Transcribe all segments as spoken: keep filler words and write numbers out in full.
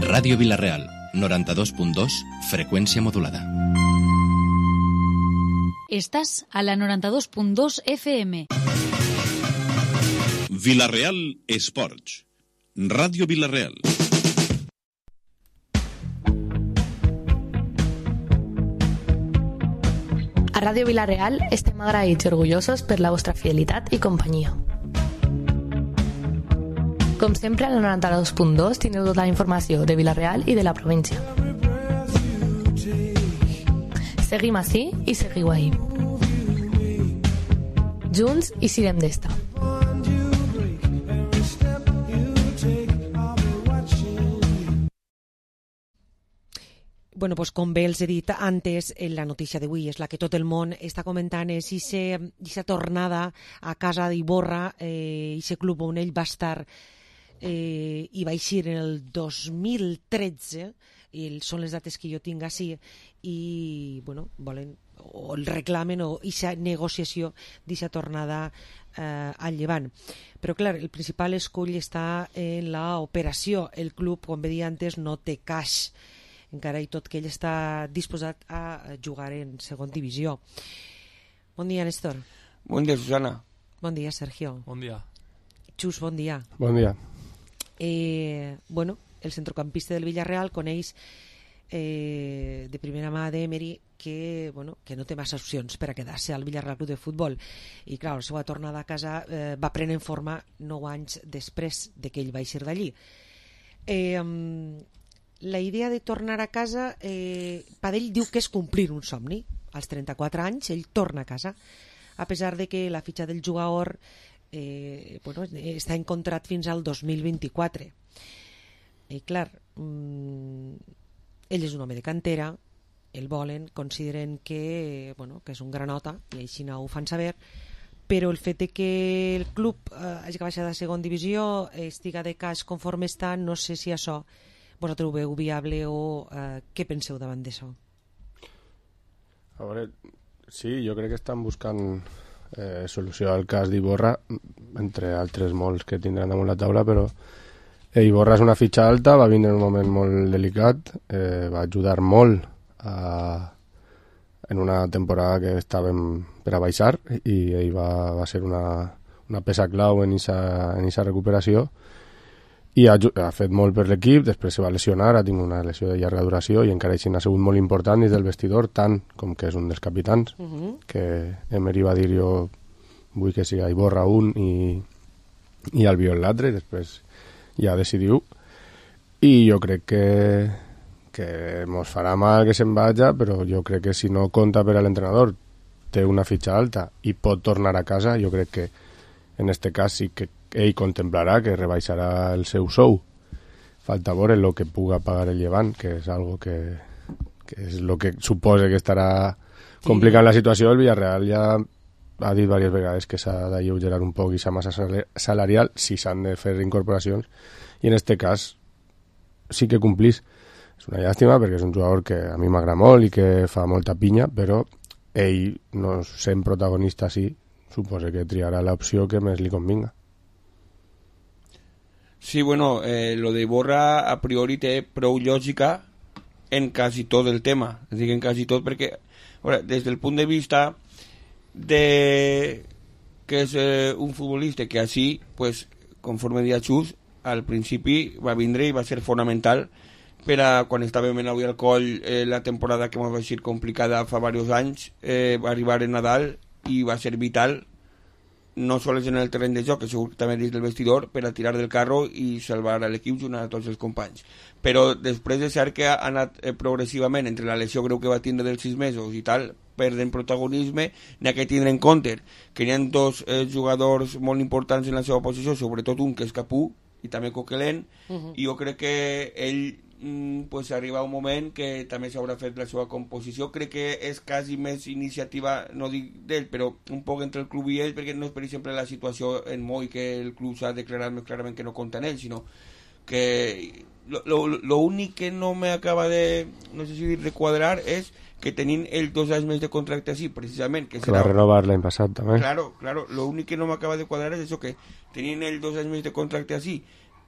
Ràdio Vila-real, noranta-dos punt dos, freqüència modulada. Estàs a la noranta-dos punt dos F M. Vila-real Esports. Ràdio Vila-real. A Ràdio Vila-real estem agraïts i orgullosos per la vostra fidelitat i companyia. Com sempre, a la noranta-dos punt dos tindreu tota la informació de Vila-real i de la província. Seguim ací i seguiu ahí. Junts i sirem d'esta. Bueno, pues com bé els he dit antes, la notícia d'avui és la que tot el món està comentant, és aquesta tornada a casa d'Iborra, eh, aquest club on ell va estar eh, i va eixir en el dos mil tretze, i són les dates que jo tinc així, i bueno, volen o el reclamen o aquesta negociació d'aquesta tornada eh, al Llevant. Però clar, el principal escull està en l'operació. El club, com bé dia antes, no té caix, encara i tot que ell està disposat a jugar en segon divisió. Bon dia, Néstor. Bon dia, Susana. Bon dia, Sergio. Bon dia. Xus, bon dia. Bon dia. Eh, bueno, el centrocampista del Villarreal coneix eh, de primera mà d'Emery que, bueno, que no té massa opcions per a quedar-se al Villarreal Club de Futbol, i clar, la seva tornada a casa eh, va prenent forma nou anys després de que ell va eixir d'allí. Eh, la idea de tornar a casa, eh, per ell diu que és complir un somni. Als trenta-quatre anys ell torna a casa, a pesar de que la fitxa del jugador eh, bueno, està en contrat fins al dos mil vint-i-quatre. I clar, mmm, ell és un home de cantera, el volen, consideren que, bueno, que és un granota, i així no ho fan saber, però el fet de que el club eh, hagi baixat a segona divisió, estiga de cas conforme està, no sé si això vosaltres ho veu viable o eh, què penseu davant d'això? A veure, sí, jo crec que estan buscant eh, solució al cas d'Iborra, entre altres molts que tindran damunt la taula, però eh, Iborra és una fitxa alta, va vindre en un moment molt delicat, eh, va ajudar molt a, en una temporada que estàvem per a baixar, i ell va, va ser una, una peça clau en aquesta recuperació, i ha, ha fet molt per l'equip. Després se va lesionar, ha tingut una lesió de llarga duració, i encara així ha sigut molt important dins del vestidor, tant com que és un dels capitans, uh -huh. que Emery va dir jo vull que siga Iborra un i, i Albiol l'altre, i després ja decidiu, i jo crec que que mos farà mal que se'n vaja, però jo crec que si no compta per a l'entrenador, té una fitxa alta i pot tornar a casa, jo crec que en este cas sí que ell contemplarà que rebaixarà el seu sou. Falta veure el que puga pagar el Llevant, que és algo que, que és el que suposa que estarà complicant la situació. El Villarreal ja ha dit diverses vegades que s'ha d'alleugerar un poc aquesta massa salarial si s'han de fer incorporacions, i en este cas sí que complís. És una llàstima perquè és un jugador que a mi m'agrada molt i que fa molta pinya, però ell, no sent protagonista així, suposa que triarà l'opció que més li convinga. Sí, bueno, eh, lo de Iborra a priori té prou lògica en quasi tot el tema. És dir, en quasi tot, perquè ahora, des del punt de vista de que és eh, un futbolista que així, pues, conforme dia Xus, al principi va vindre i va ser fonamental per a quan estàvem en avui al coll eh, la temporada que ens va ser complicada fa diversos anys, eh, va arribar en Nadal i va ser vital, no sols en el terreny de joc, que segur que també dins del vestidor, per a tirar del carro i salvar a l'equip junt a tots els companys. Però després de ser que ha anat eh, progressivament, entre la lesió greu que va tindre dels sis mesos i tal, perden protagonisme, n'hi ha que tindre en compte que hi ha dos eh, jugadors molt importants en la seva posició, sobretot un que és Capú i també Coquelin, uh-huh. i jo crec que ell mm, pues arriba un moment que també s'haurà fet la seva composició. Crec que és quasi més iniciativa, no dic d'ell, però un poc entre el club i ell, perquè no és per exemple la situació en Moi, que el club s'ha declarat més clarament que no compta en ell, sinó que lo, lo, lo únic que no me acaba de, no sé si dir, de quadrar és que tenint el dos anys més de contracte així, precisament. Que, que serà... va renovar l'any passat, també. Claro, claro, lo únic que no m'acaba de quadrar és això, que tenint el dos anys més de contracte així,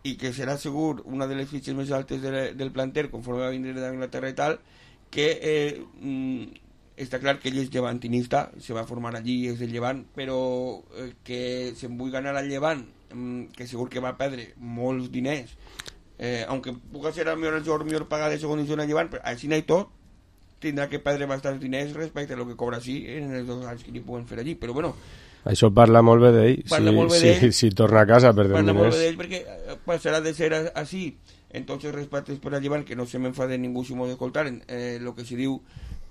i que serà segur una de les fitxes més altes de, del planter conforme va vindre d'Anglaterra i tal, que eh, mm, està clar que ell és llevantinista, se va formar allí, és del Llevant, però eh, que se'n vull ganar al Llevant, mm, que segur que va perdre molts diners, eh, aunque puga ser el millor jugador millor pagat de segona divisió al Llevant, però així no hi tot, tindrà que perdre bastants diners respecte a lo que cobra així en els dos anys que li puguen fer allí, però bueno, això parla molt bé d'ell. Parla si, molt bé si, d'ell. si torna a casa perdent parla molt diners. bé d'ell perquè passarà de ser así. Entonces, respecte per a Llevant, que no se m'enfade ningú si m'ho d'escoltar, eh, lo que se diu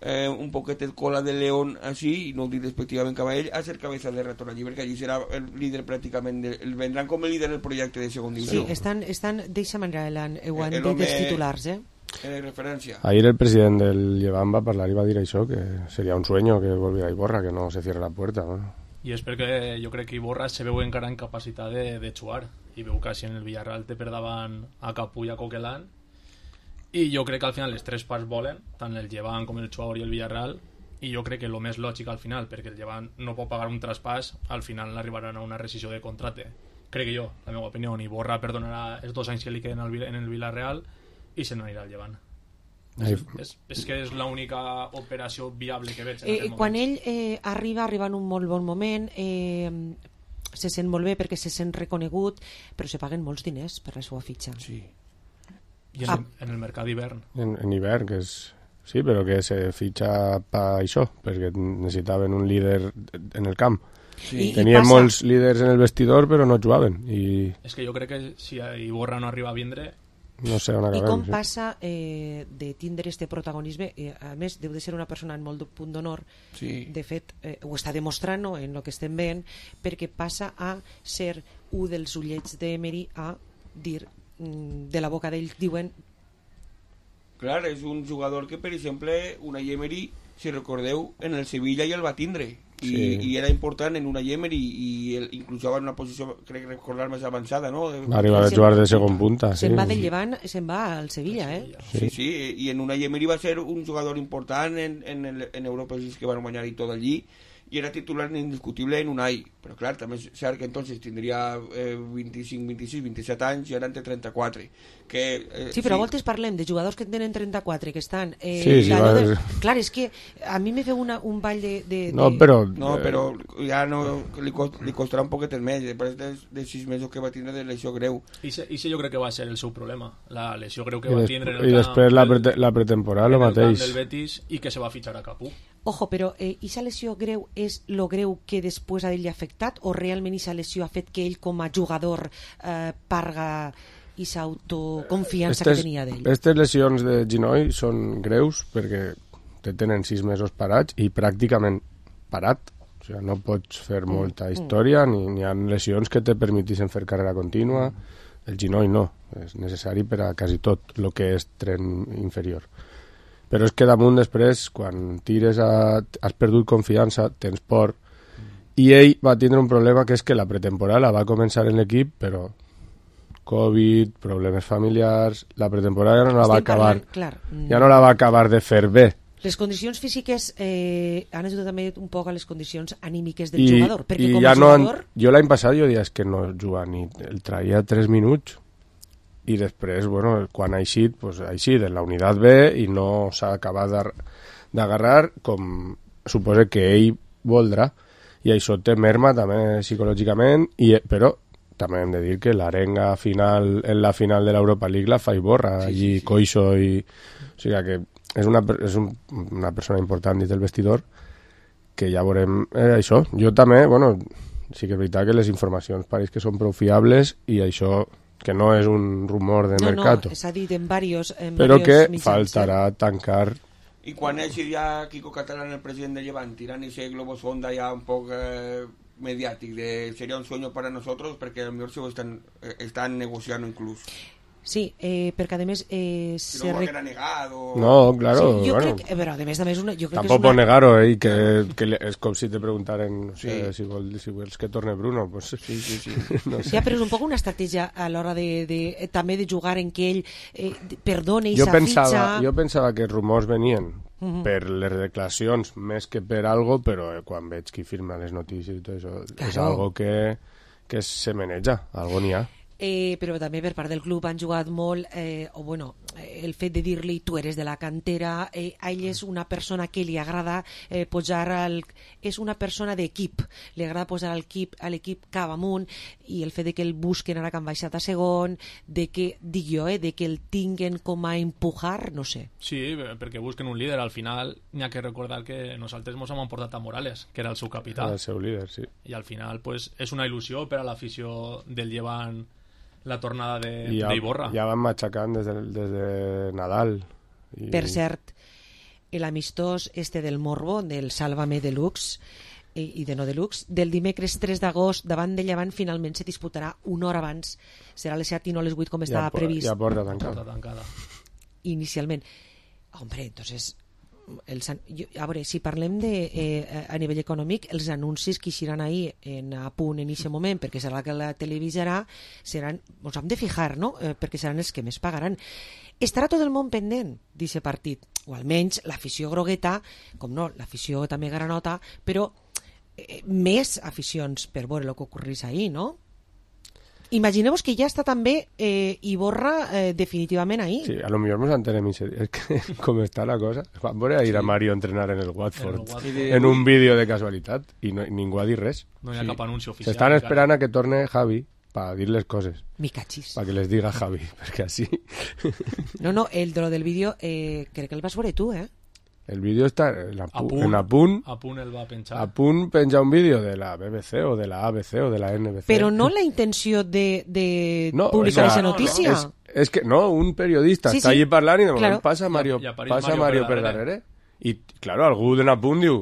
eh, un poquet cola de león así, i no ho dic despectivament cap a ell, a ser cabeza de retorn allí, perquè allí serà el líder pràcticament, de, el vendran com el líder del projecte de segon divisió. Sí, estan, estan d'eixa manera, Elan, ho han El dit home- els titulars, eh? Eh, referència. Ahir el president del Llevant va parlar i va dir això, que seria un sueño que volviera a Iborra, que no se cierre la puerta. Bueno. I és perquè jo crec que Iborra se veu encara en capacitat de, de jugar i veu que si en el Villarreal té per davant a Capú i a Coquelin, i jo crec que al final les tres parts volen, tant el Llevant com el jugador i el Villarreal, i jo crec que el més lògic al final, perquè el Llevant no pot pagar un traspàs, al final arribaran a una rescisió de contracte, crec que jo, la meva opinió. Iborra perdonarà els dos anys que li queden al Vi- en el Villarreal i se n'anirà al Llevant. Ai, És, és, és que és l'única operació viable que veig en Eh, aquest quan moment. ell eh, arriba, arriba en un molt bon moment, eh, se sent molt bé perquè se sent reconegut, però se paguen molts diners per la seva fitxa. Sí. I en, Ah. el, en el mercat d'hivern. en, en hivern, que és... Sí, però que se fitxa per això, perquè necessitaven un líder en el camp. Sí. I- Tenien passa- molts líders en el vestidor, però no jugaven. I És que jo crec que si Iborra no arriba a vindre, no sé on I acabem. com sí. passa eh, de tindre este protagonisme, eh, a més deu de ser una persona en molt de punt d'honor, Sí. de fet eh, ho està demostrant, no, en el que estem veient, perquè passa a ser un dels ullets d'Emery a dir mm, de la boca d'ell diuen Clar, és un jugador que, per exemple, Unai Emery, si recordeu, en el Sevilla ja el va tindre. I, Sí. i era important en Unai Emery i el, inclús en una posició, crec recordar, més avançada, no? Va arribar a se'n- jugar de segon punta. Sí. se'n va del Llevant, se'n va al Sevilla, eh? Sí, sí, i en Unai Emery va ser un jugador important en, en, el, en Europa, els que van guanyar i tot allí, i era titular indiscutible en Unai, però clar, també és cert que entonces tindria eh, vint-i-cinc, vint-i-sis, vint-i-set anys i ara en té trenta-quatre. Que, eh, Sí, però a voltes parlem de jugadors que tenen trenta-quatre, que estan... Eh, Sí, sí, d'allò va- de... Clar, és que a mi me feu una, un ball de... de, No, de... però... No, eh, però ja no, li, cost, li costarà un poquet més, després de, de sis mesos que va tindre de lesió greu. i se, i se jo crec que va ser el seu problema, la lesió greu que I, va des, tindre en el i camp després la, del- prete, la pretemporada, en el el camp mateix. del Betis, i que se va fitxar a Capú. Ojo, però eh, ixa lesió greu és lo greu que després a ell li ha afectat o realment ixa lesió ha fet que ell com a jugador eh, parga ixa autoconfiança que tenia d'ell? Aquestes lesions de genoll són greus perquè te tenen sis mesos parats i pràcticament parat. O sigui, no pots fer molta història, ni, ni ha lesions que te permetixen fer carrera contínua. El genoll no, és necessari per a quasi tot el que és tren inferior. Però és que damunt després, quan tires a... has perdut confiança, tens por, i ell va tindre un problema que és que la pretemporada va començar en l'equip, però Covid, problemes familiars, la pretemporada ja no la va Estem acabar, parlant, clar, mm, ja no la va acabar de fer bé. les condicions físiques eh, han ajudat també un poc a les condicions anímiques del I, jugador, perquè i com ja a no han, jugador... jo l'any passat jo diria és que no juga ni el traia tres minuts i després, bueno, quan ha eixit pues, ha eixit en la unitat B i no s'ha acabat d'ar- d'agarrar com suposa que ell voldrà, i això té merma també psicològicament, i, però també hem de dir que l'arenga final en la final de l'Europa League la fa Iborra, Sí, allí sí, sí. Coixo i... O sigui que és una, per- és un, una persona important dins del vestidor que ja veurem eh, això. Jo també, bueno, sí que és veritat que les informacions pareix que són prou fiables i això que no és un rumor de No, mercato, no, s'ha dit en varios, en però varios que mitjans, faltarà tancar. I quan eixi ja Kiko Catalán, el president de Llevant, tirant ese globo sonda ja un poc eh, mediàtic de sería un sueño para nosotros, perquè a lo mejor se ho estan, eh, estan negociant inclús. Sí, eh, perquè a més eh, Si se no ho re- haguera negado... No, claro, sí, jo bueno, crec, eh, però a més a més una, jo crec tampoc que pot és una... negar-ho, eh, que, que le- és com si te preguntaren no sé, Sí. si, vol, si vols que torne Bruno, pues, Sí, sí, sí. no sé. Ja, però és un poc una estratègia a l'hora de, de, eh, també de jugar en què ell eh, de- perdone i jo s'ha pensava, fitxa... jo pensava que els rumors venien Mhm. per les declaracions més que per algo, però eh, quan veig qui firma les notícies i tot això, és Claro. algo que, que se maneja, algo n'hi ha. eh, però també per part del club han jugat molt, eh, o bueno, el fet de dir-li tu eres de la cantera, eh, a ell és una persona que li agrada eh, posar al, és una persona d'equip, li agrada posar al equip, a l'equip cap amunt, i el fet de que el busquen ara que han baixat a segon, de que, dic jo, eh, de que el tinguen com a empujar, no sé. Sí, perquè busquen un líder. Al final n'hi ha que recordar que nosaltres ens hem portat a Morales, que era el seu capità. Era el seu líder, sí. I al final pues, és una il·lusió per a l'afició del Llevant la tornada de, I ja, d'Iborra. Ja van matxacant des de, des de Nadal. I... Per cert, l'amistós este del Morbo, del Sálvame Deluxe i, i de no Deluxe, del dimecres tres d'agost davant de Llevant finalment se disputarà una hora abans. Serà a les set i no a les vuit com estava ja, previst. Ja porta tancada. Porta tancada. Inicialment. Hombre, entonces... Els, jo, a veure, si parlem de, eh, a nivell econòmic, els anuncis que ixiran ahir en, a punt en aquest moment, perquè serà que la televisarà, seran, ens hem de fijar, no? Eh, perquè seran els que més pagaran. Estarà tot el món pendent d'aquest partit, o almenys l'afició grogueta, com no, l'afició també granota, però eh, més aficions per veure el que ocorrís ahir, no? Imagineu-vos que ja està també eh, Iborra eh, definitivament ahí. Sí, a lo millor nos enterem ese día. Es que com està la cosa, van veure a ir sí. a Mario a entrenar en el Watford, en, el Watford. en un vídeo de casualitat i no, ningú ha dit res. No hi ha sí. cap anunci oficial. S'estan esperant a que torne Javi para dir-les coses. Mi cachis. Para que les diga Javi, perquè així... No, no, el de lo del vídeo eh, crec que el vas veure tu, eh? El vídeo està en Apunt, en Apunt, Apunt el va penjar. Apunt penja un vídeo de la B B C o de la A B C o de la N B C. Però no la intenció de, de no, publicar aquesta no, notícia. No, no. És, és que no, un periodista sí, està sí. allí parlant i de moment claro. passa Mario, I, i passa Mario, Mario per per darrere. darrere. I, claro, algú d'en Apunt diu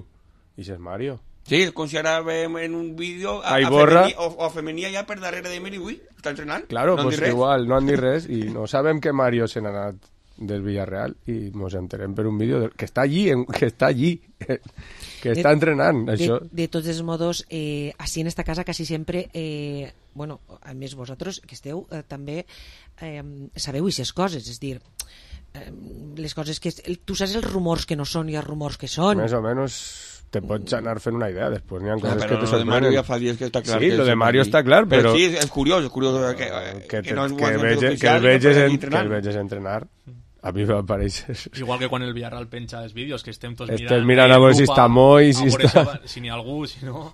i és Mario. Sí, com si ara veiem en un vídeo a, a, a Iborra, femení, o, o a femení allà per darrere de Meri, ui, està entrenant. Claro, no pues igual, no han dit res i no sabem que Mario se n'ha anat del Villarreal i ens enterem per un vídeo de, que està allí, en, que està allí, que està de, entrenant. Això. De, de tots els modos, eh, així en esta casa quasi sempre, eh, bueno, a més vosaltres que esteu eh, també eh, sabeu aquestes coses, és dir, eh, les coses que... Tu saps els rumors que no són i els rumors que són. Més o menys te pots anar fent una idea, després n'hi ha coses no, que te sorprenen. Lo de Mario ja fa dies que està clar. Sí, que lo de Mario està clar, però... Però sí, és curiós, és curiós que, que, que no és que, vege, que, el veges en, que el veges entrenar. A mi m'apareix... Igual que quan el Villarreal penja els vídeos, que estem tots estem mirant... mirant a veure si està Moi, si està... Si n'hi ha algú, si no...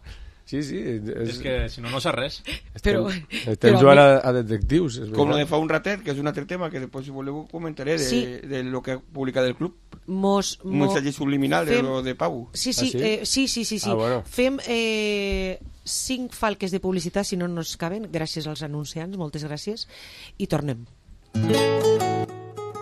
Sí, sí. És, és que si no, no sé res. Estem, però, estem però jugant a, mi... a, a detectius. Com lo de fa un ratet, que és un altre tema que després, si voleu, comentaré de, sí. de lo que publica del club. Mos, un missatge subliminal fem... de lo de Pau. Sí, sí, ah, sí? Eh, sí, sí, sí, sí. Ah, bueno. Fem eh, cinc falques de publicitat, si no nos caben, gràcies als anunciants, moltes gràcies, i tornem.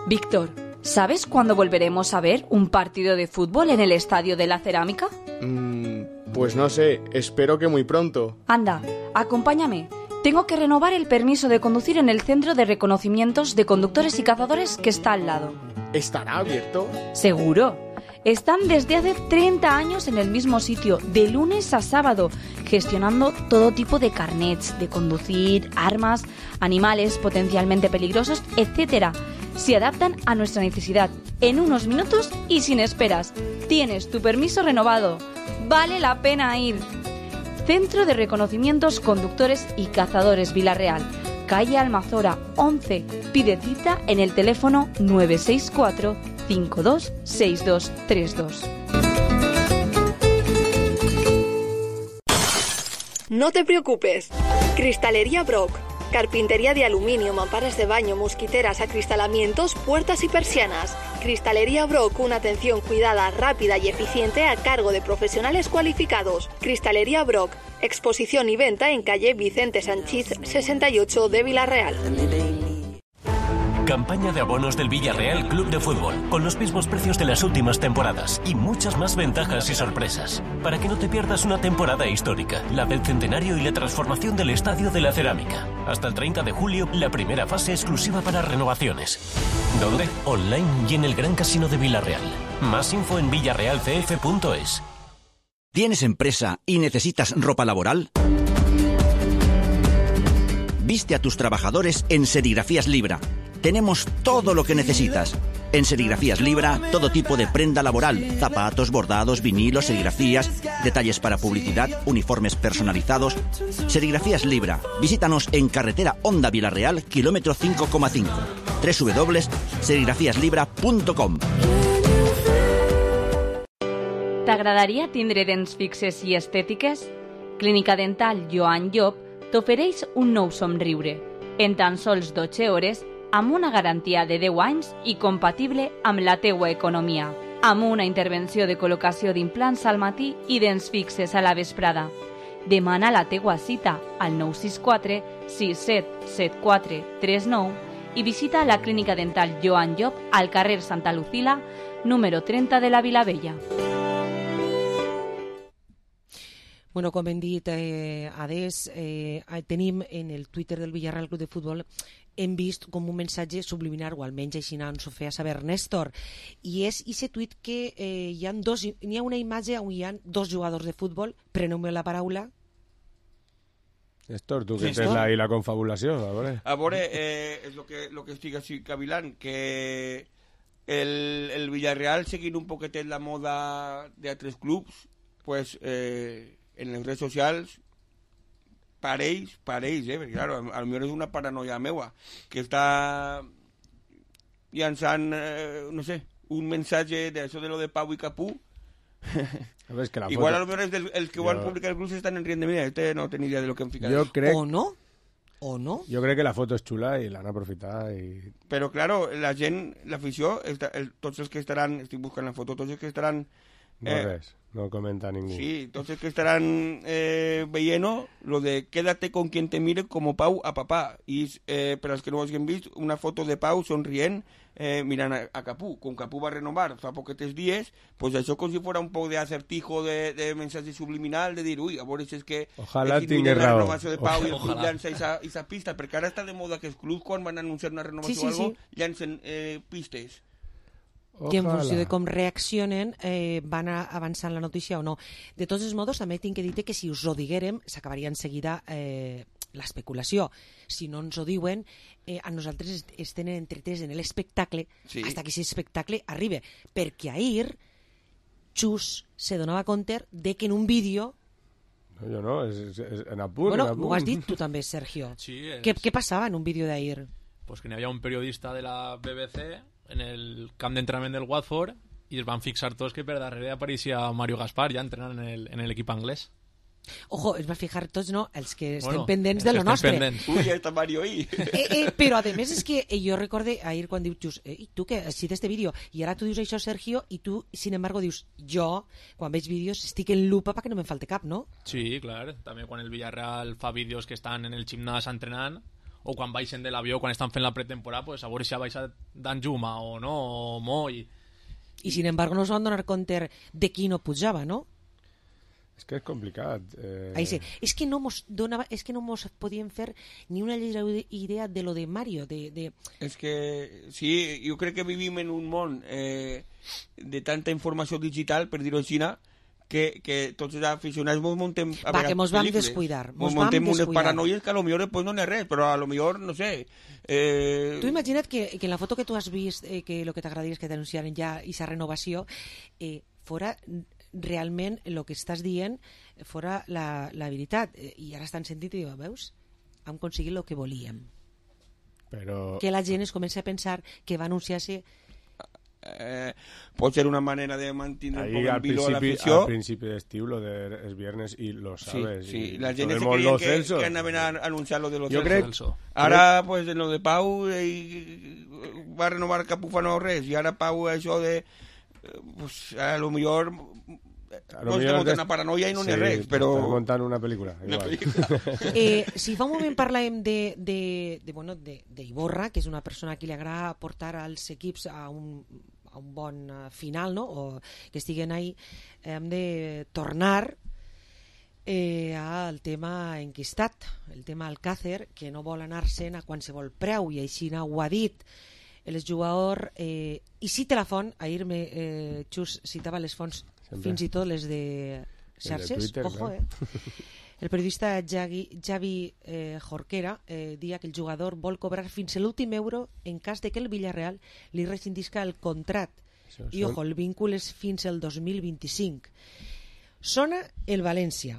Víctor, ¿sabes cuándo volveremos a ver un partido de fútbol en el Estadio de la Cerámica? Mm, pues no sé, espero que muy pronto. Anda, acompáñame. Tengo que renovar el permiso de conducir en el Centro de Reconocimientos de Conductores y Cazadores que está al lado. ¿Estará abierto? Seguro. Están desde hace treinta años en el mismo sitio, de lunes a sábado, gestionando todo tipo de carnets, de conducir, armas, animales potencialmente peligrosos, etcétera. Se adaptan a nuestra necesidad en unos minutos y sin esperas. Tienes tu permiso renovado. Vale la pena ir. Centro de Reconocimientos Conductores y Cazadores Villarreal, calle Almazora once. Pide cita en el teléfono nueve seis cuatro, cinco dos seis dos tres dos. No te preocupes. Cristalería Brock. Carpintería de aluminio, mamparas de baño, mosquiteras, acristalamientos, puertas y persianas. Cristalería Brock, una atención cuidada, rápida y eficiente a cargo de profesionales cualificados. Cristalería Brock, exposición y venta en calle Vicente Sanchís sesenta y ocho de Villarreal. Campaña de abonos del Villarreal Club de Fútbol, con los mismos precios de las últimas temporadas y muchas más ventajas y sorpresas. Para que no te pierdas una temporada histórica, la del centenario y la transformación del Estadio de la Cerámica. Hasta el treinta de julio, la primera fase exclusiva para renovaciones. ¿Dónde? Online y en el Gran Casino de Villarreal. Más info en villarreal c f punto es. ¿Tienes empresa y necesitas ropa laboral? Viste a tus trabajadores en Serigrafías Libra. tenemos todo lo que necesitas. En Serigrafías Libra, todo tipo de prenda laboral, zapatos, bordados, vinilos, serigrafías, detalles para publicidad, uniformes personalizados. Serigrafías Libra. Visítanos en carretera Onda Vilareal, kilómetro cinco coma cinco. doble u doble u doble u punt serigrafías libra punt com. T'agradaria tindre dents fixes i estètiques? Clínica Dental Joan Llop t'ofereix un nou somriure. En tan sols dotze hores, amb una garantia de deu anys i compatible amb la teua economia. Amb una intervenció de col·locació d'implants al matí i dents fixes a la vesprada. Demana la teua cita al nou sis quatre sis set set quatre tres nou i visita la Clínica Dental Joan Llop al carrer Santa Lucila, número trenta de la Vilavella. Bueno, com hem dit, eh, Ades, eh, tenim en el Twitter del Villarreal Club de Futbol, hem vist com un missatge subliminar, o almenys així ens ho feia saber Néstor, i és aquest tuit que eh, hi ha dos, hi ha una imatge on hi ha dos jugadors de futbol, preneu-me la paraula. Néstor, tu que Néstor? tens ahí la confabulació, a veure. A veure, eh, és el que, lo que estic així cavilant, que el, el Villarreal, seguint un poquetet la moda d'altres clubs, pues... Eh, en les redes socials pareix, pareix, eh? Perquè, claro, a lo millor és una paranoia meua, que està llançant, eh, no sé, un mensatge d'això de lo de Pau i Capú. A veure, que la Igual foto... a lo millor és del, els que ho jo... han publicat el grup s'estan enriendo. Mira, este no tenia idea de lo que han ficat. Jo crec... O no? O no? Jo crec que la foto és xula i l'han aprofitat i... Però, claro, la gent, l'afició, el, tots els que estaran, estic buscant la foto, tots els que estaran... No eh, res, no comenta ningú. Sí, tots els que estaran eh, veient lo de quédate con quien te mire como Pau a papá. I eh, per als que no ho hagin vist, una foto de Pau sonrient eh, mirant a, a Capú. Com Capú va renovar fa poquetes dies, pues això com si fos un poc d'acertijo de, de mensatge subliminal, de dir, ui, a veure si és que... Ojalà és tingués la raó. renovació de Pau i el club Ojalà. llança esa pista, perquè ara està de moda que els clubs, quan van anunciar una renovació Sí, sí, o algo, sí. llancen eh, pistes. Que en funció de com reaccionen eh, van a avançant la notícia o no. De tots els modos, també tinc que dir que si us ho diguérem, s'acabaria en seguida eh, l'especulació. Si no ens ho diuen, eh, a nosaltres es tenen entretés en l'espectacle Sí. hasta que aquest espectacle arribe. Perquè ahir, Xus se donava compte de que en un vídeo... No, jo no, és, és, és en apunt, Bueno, en apunt. ho has dit tu també, Sergio. Sí, és... Què, què passava en un vídeo d'ahir? Pues que n'hi havia un periodista de la B B C en el camp d'entrenament del Watford i es van fixar tots que per darrere apareixia Mario Gaspar ja entrenant en l'equip anglès. Ojo, es va fijar tots, no? Els que estem Bueno, pendents els de que lo estem nostre. pendents. Ui, ja està Mario ahí. Eh, eh, però a més és que eh, jo recorde ahir quan dius Just, eh, i tu que has vist este vídeo i ara tu dius això, Sergio, i tu sin embargo dius jo, quan veig vídeos estic en lupa perquè no me'n falte cap, no? Sí, clar. També quan el Villarreal fa vídeos que estan en el gimnàs entrenant o quan baixen de l'avió, quan estan fent la pretemporada, pues a veure si ha baixat d'Anjuma o no, o Moi. I sin embargo no es van donar compte de qui no pujava, no? És que és complicat. Eh... Ahí sí. És que no mos donava, és que no mos podien fer ni una lleugera idea de lo de Mario, de... de... És que, sí, jo crec que vivim en un món eh, de tanta informació digital, per dir-ho així, que, que tots els aficionats mos muntem a Va, vegades que mos vam pel·lícules. descuidar, Mos mos vam muntem unes descuidar. paranoies que a lo millor pues, no n'hi ha res, però a lo millor, no sé... Eh... Tu imagina't que, que en la foto que tu has vist, eh, que el que t'agradaria és que t'anunciaren ja aquesta renovació, eh, fora realment el que estàs dient fora la, la veritat. Eh, I ara estan sentint i diuen, veus? Hem aconseguit el que volíem. Però... Que la gent es comença a pensar que va anunciar-se... Eh, pot ser una manera de mantenir un Ahí poc al en vilo a principi, l'afició. al principi d'estiu, lo de es viernes, y lo sabes. Sí, sí. Y La gent todo el se mundo, creien lo que, Celso. que anaven a anunciar lo de los Jo Celso. crec- Ara, pues, en lo de Pau eh, va renovar Capufà no res, i ara Pau això de... eh, Pues, a lo millor... A lo no millor estem des- una paranoia i no n'hi ha sí, res, però... estan muntant una pel·lícula. Una igual. pel·lícula. Eh, si fa un moment parlàvem de, de, de, bueno, de, de Iborra, que és una persona a qui li agrada portar als equips a un, a un bon eh, final, no? O que estiguen ahí, hem de tornar eh, al tema enquistat, el tema Alcácer, que no vol anar-se'n a qualsevol preu, i així ho ha dit el jugador, eh, i cita la font, ahir me, eh, Xus citava les fonts, Sempre. fins i tot les de xarxes, Twitter, ojo, clar. eh? El periodista Javi, Javi eh, Jorquera eh, dia que el jugador vol cobrar fins a l'últim euro en cas de que el Villarreal li rescindisca el contracte. Això, I, ojo, el vincul és fins al dos mil vint-i-cinc. Sona el València,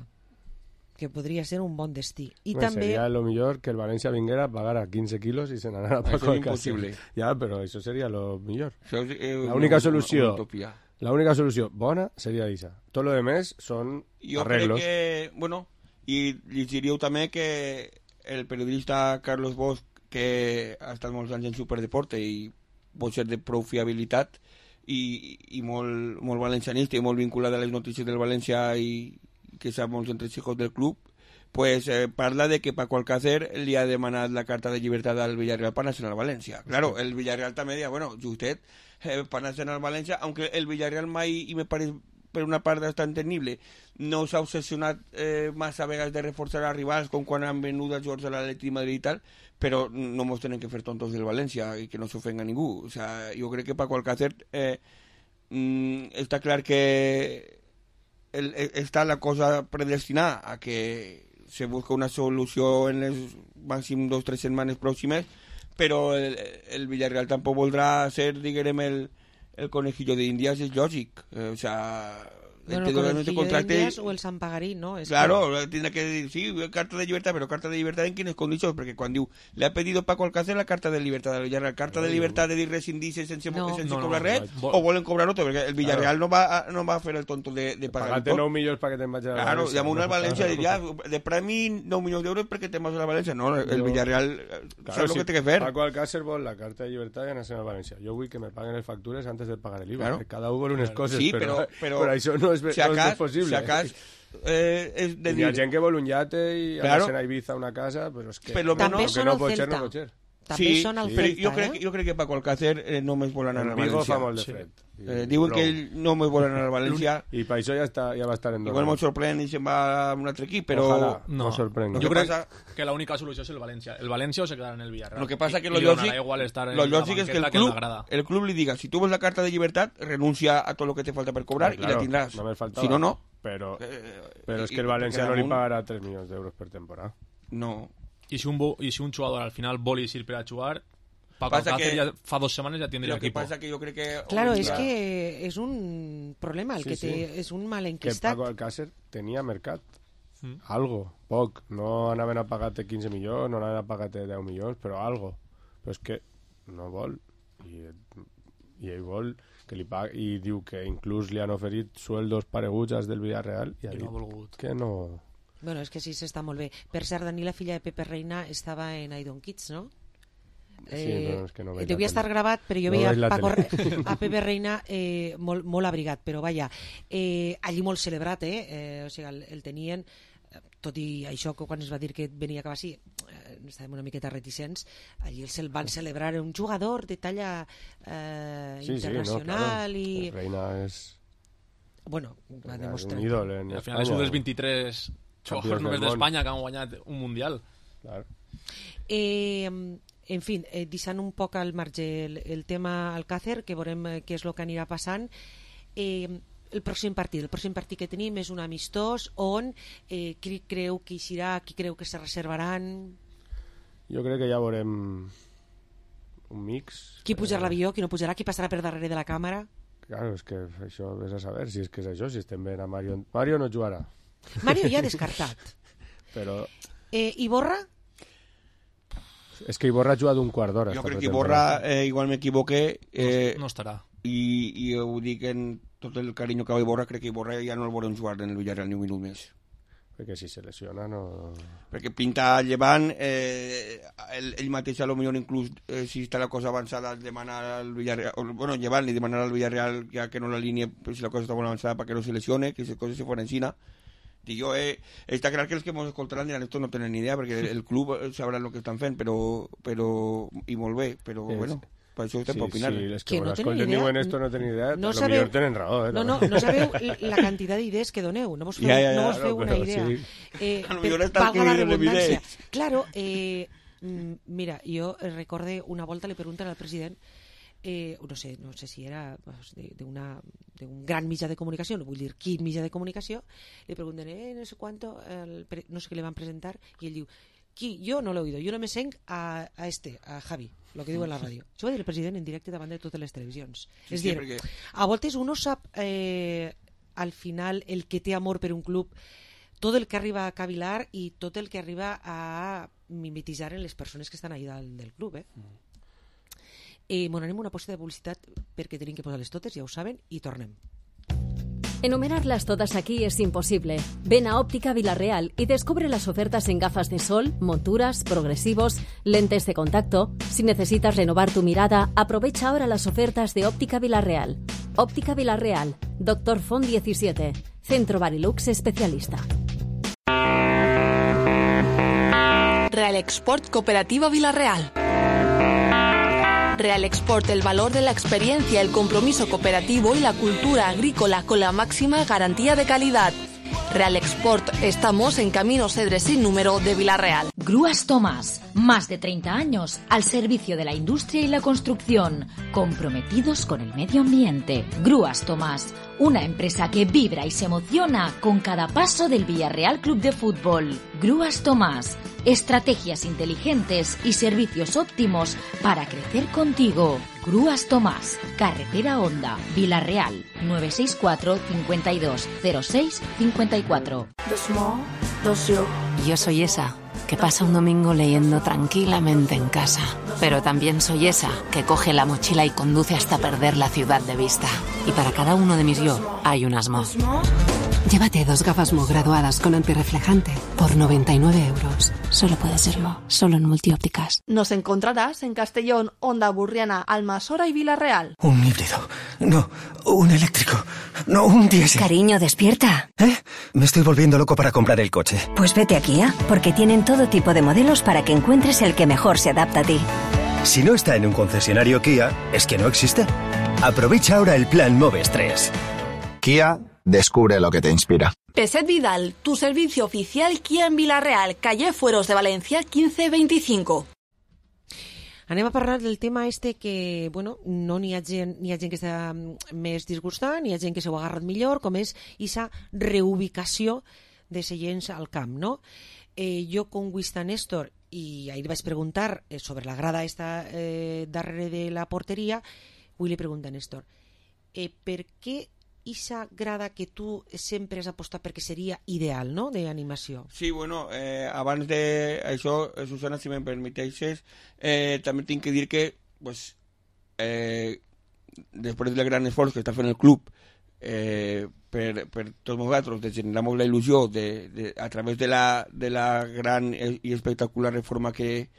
que podria ser un bon destí. I Bueno, també... Sería lo mejor que el Valencia vinguera, pagara quince kilos y se ganara Eso Paco es Alcácer. imposible. Ya, pero eso sería lo mejor. Això és, eh, La una- única una- solució, una utopia. la única solució bona seria esa. Todo lo demás son Jo arreglos. crec que, bueno, i li diríeu també que el periodista Carlos Bosch, que ha estat molts anys en Superdeporte i pot ser de prou fiabilitat i, i molt, molt valencianista i molt vinculat a les notícies del València i que sap molts entresijos del club, pues eh, parla de que Paco Alcácer li ha demanat la carta de llibertat al Villarreal per anar-se'n al València. Claro, el Villarreal també deia, bueno, justet, eh, per anar-se'n al València, aunque el Villarreal mai, i me pareix per una part bastant tenible, no s'ha obsessionat eh, massa vegades de reforçar els rivals com quan han venut els jugadors a l'Atlètic de Madrid i tal, però no mos tenen que fer tontos del València i que no s'ofenga ningú. O sea, jo crec que Paco Alcácer eh, mm, està clar que el, el, està la cosa predestinada a que se busca una solució en les màxim dos o tres setmanes pròximes, però el, el Villarreal tampoc voldrà ser, diguem, el, el conejillo de Indias, és lògic. Eh, o sea, Bueno, el con el contracte... contracte... Indias o el Sant Pagarí, no? Es Claro, que... tendrá que decir, sí, carta de libertad, pero carta de libertad en quines condicions, perquè quan diu, le ha pedido Paco Alcácer la carta de libertad del Villarreal, carta de libertad de dir rescindirse sense, No. sense No, no, cobrar no, res, no. o volen cobrar otro, perquè el Villarreal no, va a, no va a fer el tonto de, de pagar Pagate nou milions perquè te'n vagis a la Claro, València. llama una al No, València i claro. diria, de premi nou milions d'euros perquè te'n vas a la València. No, el Jo- Villarreal Claro, saps si el que té que fer. Paco Alcácer vol la carta de llibertat i anar-se'n al València. Jo vull que me paguen les factures antes de pagar el I V A. Claro. Que cada un vol unes coses, Sí, però, però, però, però això no és, si no acas, és possible. Si acas, eh, és de Hi ha dir... gent que vol un yate i Claro. anar-se'n a Ibiza a una casa, però és que... Per lo També menos- són que no al pot ser, Celta. no pot ser. També sí, són al però Celta, jo crec, eh? jo crec que Paco Alcácer eh, només vol anar En a Vigo València. fa molt de Sí. fred. Eh, diuen que ell només vol anar a València. I per això ja, està, ja va estar en Igual molt sorprèn i se'n va a un altre equip, però... Ojalà, No. no sorprengui. Lo Jo que crec pasa- que l'única solució és el València. El València o se quedarà en el Villarreal. Lo que pasa que I- lo i li donarà lògic, igual estar en lo la lògic és que el banqueta club, l'agrada. el club li diga, si tu vols la carta de llibertat, renuncia a tot lo que te falta per cobrar Ah, i la tindràs. No me faltava. Si no, no. Però, Eh, però és i- que el i València perquè no li damunt- pagarà tres milions d'euros per temporada. No. I si un, bo, i si un jugador al final vol ir per a jugar, Paco Pasa Alcácer que- ja fa dos setmanes ja tindria Lo que equipo. pasa que yo creo que... Claro, hombre, és clar. que és un problema el Sí, que sí. té, és un mal Que enquistat. Paco Alcácer tenia mercat. Mm. Algo, poc. No anaven a pagar-te quinze milions, no anaven a pagar-te deu milions, però algo. Però és que no vol. I, i ell vol que li pagui, i diu que inclús li han oferit sueldos pareguts als del Villarreal i ha I no dit ha volgut. que no... Bueno, és que sí, s'està molt bé. Per cert, Dani, la filla de Pepe Reina, estava en I Don't Kids, no? Sí, però és que no veig la devia estar tele. gravat, però jo No veia veig la Paco, tele. a Pepe Reina eh, molt, molt abrigat, però vaja, eh, allí molt celebrat, eh? eh o sigui, el, el tenien, eh, tot i això que quan es va dir que venia cap així, eh, estàvem una miqueta reticents, allí el se'l van celebrar, un jugador de talla eh, Sí, sí, no, internacional claro. i... Reina és... Bueno, va és demostrar... un ídol en I al final és un dels vint-i-tres Campions jugadors només del món. d'Espanya que han guanyat un Mundial. Claro. Eh, en fi, eh, deixant un poc al marge el, el tema Alcácer, que veurem eh, què és el que anirà passant. Eh, el pròxim partit, el pròxim partit que tenim és un amistós on eh, qui creu que eixirà, qui creu que se reservaran, Jo crec que ja veurem un mix. qui pujarà Eh, l'avió, qui no pujarà, qui passarà per darrere de la càmera. Claro, és que això vés a saber si és que és això, si estem veient a Mario... Mario no jugarà, Mario ja descartat. però Eh, Iborra? és que Iborra ha jugat un quart d'hora. Jo esta crec que pretemporada. Iborra, eh, igual m'equivoqué, eh, No estarà. i, i ho dic en tot el carinyo que va Iborra, crec que Iborra ja no el veurem jugar en el Villarreal ni un minut més. Perquè si se lesiona no... Perquè pinta llevant, eh, ell, ell mateix a lo millor inclús eh, si està la cosa avançada demanar al Villarreal, o, bueno, llevant i demanar al Villarreal ja que no la línia, pues, si la cosa està molt avançada para que no se lesione, que esas cosas se fueran encima. Dic jo, eh, està clar que els que ens escoltaran diran esto no tenen ni idea perquè el club sabrà el que estan fent, però, però i molt bé, però Sí, bueno, per això estem Sí, per opinar. sí, és Que que, no no tenen escolten idea. diuen esto no tenen idea, No a lo sabeu- millor tenen raó, eh? No, no, no sabeu la quantitat d'idees que doneu, no vos feu, Ja, ja, ja, no vos claro, feu una però idea. sí. Eh, A lo per- millor està valga la escrivint en redundància. evident. Claro, eh, mm, mira, jo recorde una volta li pregunten al president eh, no sé, no sé si era pues, de, de, una, de un gran mitjà de comunicació, no vull dir quin mitjà de comunicació, li pregunten, eh, no sé cuánto, el, no sé què le van presentar, i ell diu, qui? Yo no lo he oído, yo no me senc a, a este, a Javi, lo que diu en la ràdio. Això va dir el president en directe davant de totes les televisions. Sí, és sí, dir, perquè... a voltes uno sap eh, al final el que té amor per un club, tot el que arriba a cavilar i tot el que arriba a mimetitzar en les persones que estan ahí dalt del club. Eh? Mm. Eh, bueno, anem una posta de publicitat perquè tenim que posar-les totes, ja ho saben, i tornem. Enumerarlas todas aquí es imposible. Ven a Óptica Villarreal y descubre las ofertas en gafas de sol, monturas, progresivos, lentes de contacto. Si necesitas renovar tu mirada, aprovecha ahora las ofertas de Óptica Villarreal. Óptica Villarreal, Doctor Font diecisiete, Centro Barilux Especialista. Real Export Cooperativa Villarreal. Real Export, el valor de la experiencia, el compromiso cooperativo y la cultura agrícola con la máxima garantía de calidad. Real Export, estamos en Camino Cedres sin número de Villarreal. Grúas Tomás, más de treinta años al servicio de la industria y la construcción, comprometidos con el medio ambiente. Grúas Tomás, una empresa que vibra y se emociona con cada paso del Villarreal Club de Fútbol. Grúas Tomás, estrategias inteligentes y servicios óptimos para crecer contigo. Grúas Tomás, Carretera Honda, Villarreal, nueve seis cuatro, cincuenta y dos, cero seis, cincuenta y cuatro. Yo soy esa que pasa un domingo leyendo tranquilamente en casa, pero también soy esa que coge la mochila y conduce hasta perder la ciudad de vista. Y para cada uno de mis yo hay un Asmo. Llévate dos gafas Mo graduadas con antirreflejante por noventa y nueve euros. Solo puede ser Mo, solo en Multiópticas. Nos encontrarás en Castellón, Honda Burriana, Almasora y Villarreal. Un híbrido. No, un eléctrico. No, un diésel. Cariño, despierta. ¿Eh? Me estoy volviendo loco para comprar el coche. Pues vete a Kia, porque tienen todo tipo de modelos para que encuentres el que mejor se adapta a ti. Si no está en un concesionario Kia, es que no existe. Aprovecha ahora el plan Moves tres. Kia, descubre lo que te inspira. Peset Vidal, tu servicio oficial Kia en Villarreal, calle Fueros de Valencia quince veinticinco. Anem a parlar del tema este que, bueno, no n'hi ha gent, n'hi ha gent que està més disgustant, n'hi ha gent que s'ho ha agarrat millor, com és aquesta reubicació de seients al camp, no? Eh, jo con Wista Néstor, i ahir vaig preguntar eh, sobre la grada esta eh, darrere de la porteria, avui li pregunta a Néstor, eh, per què esa grada que tu sempre has apostat perquè seria ideal, no?, d'animació. Sí, bueno, eh, abans d'això, Susana, si me'n permeteixes, eh, també tinc que dir que, pues, eh, després del gran esforç que està fent el club eh, per, per tots nosaltres, de generar molt la il·lusió de, de, a través de la, de la gran i espectacular reforma que,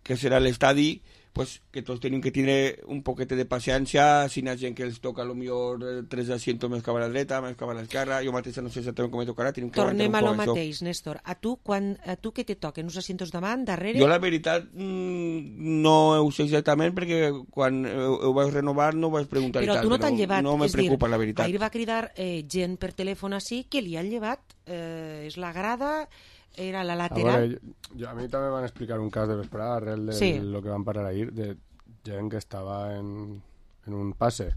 que serà l'estadi, pues que tots tenim que tindre un poquet de paciència, si hi ha gent que els toca potser tres asientos més cap a la dreta, més cap a l'esquerra, jo mateixa no sé exactament com me tocarà. Tornem a lo mateix, Néstor. A tu, quan, a tu què te toquen? Uns asientos davant, darrere? Jo la veritat no ho sé exactament perquè quan ho vaig renovar no ho vaig preguntar. Però tu no t'han llevat, no me és preocupa dir, la veritat. Ahir va cridar eh, gent per telèfon així que li han llevat, eh, és la grada... era la lateral. A, veure, jo, jo, a mi també van explicar un cas de vesprada arrel de sí. lo que van parar ahir de gent que estava en, en un passe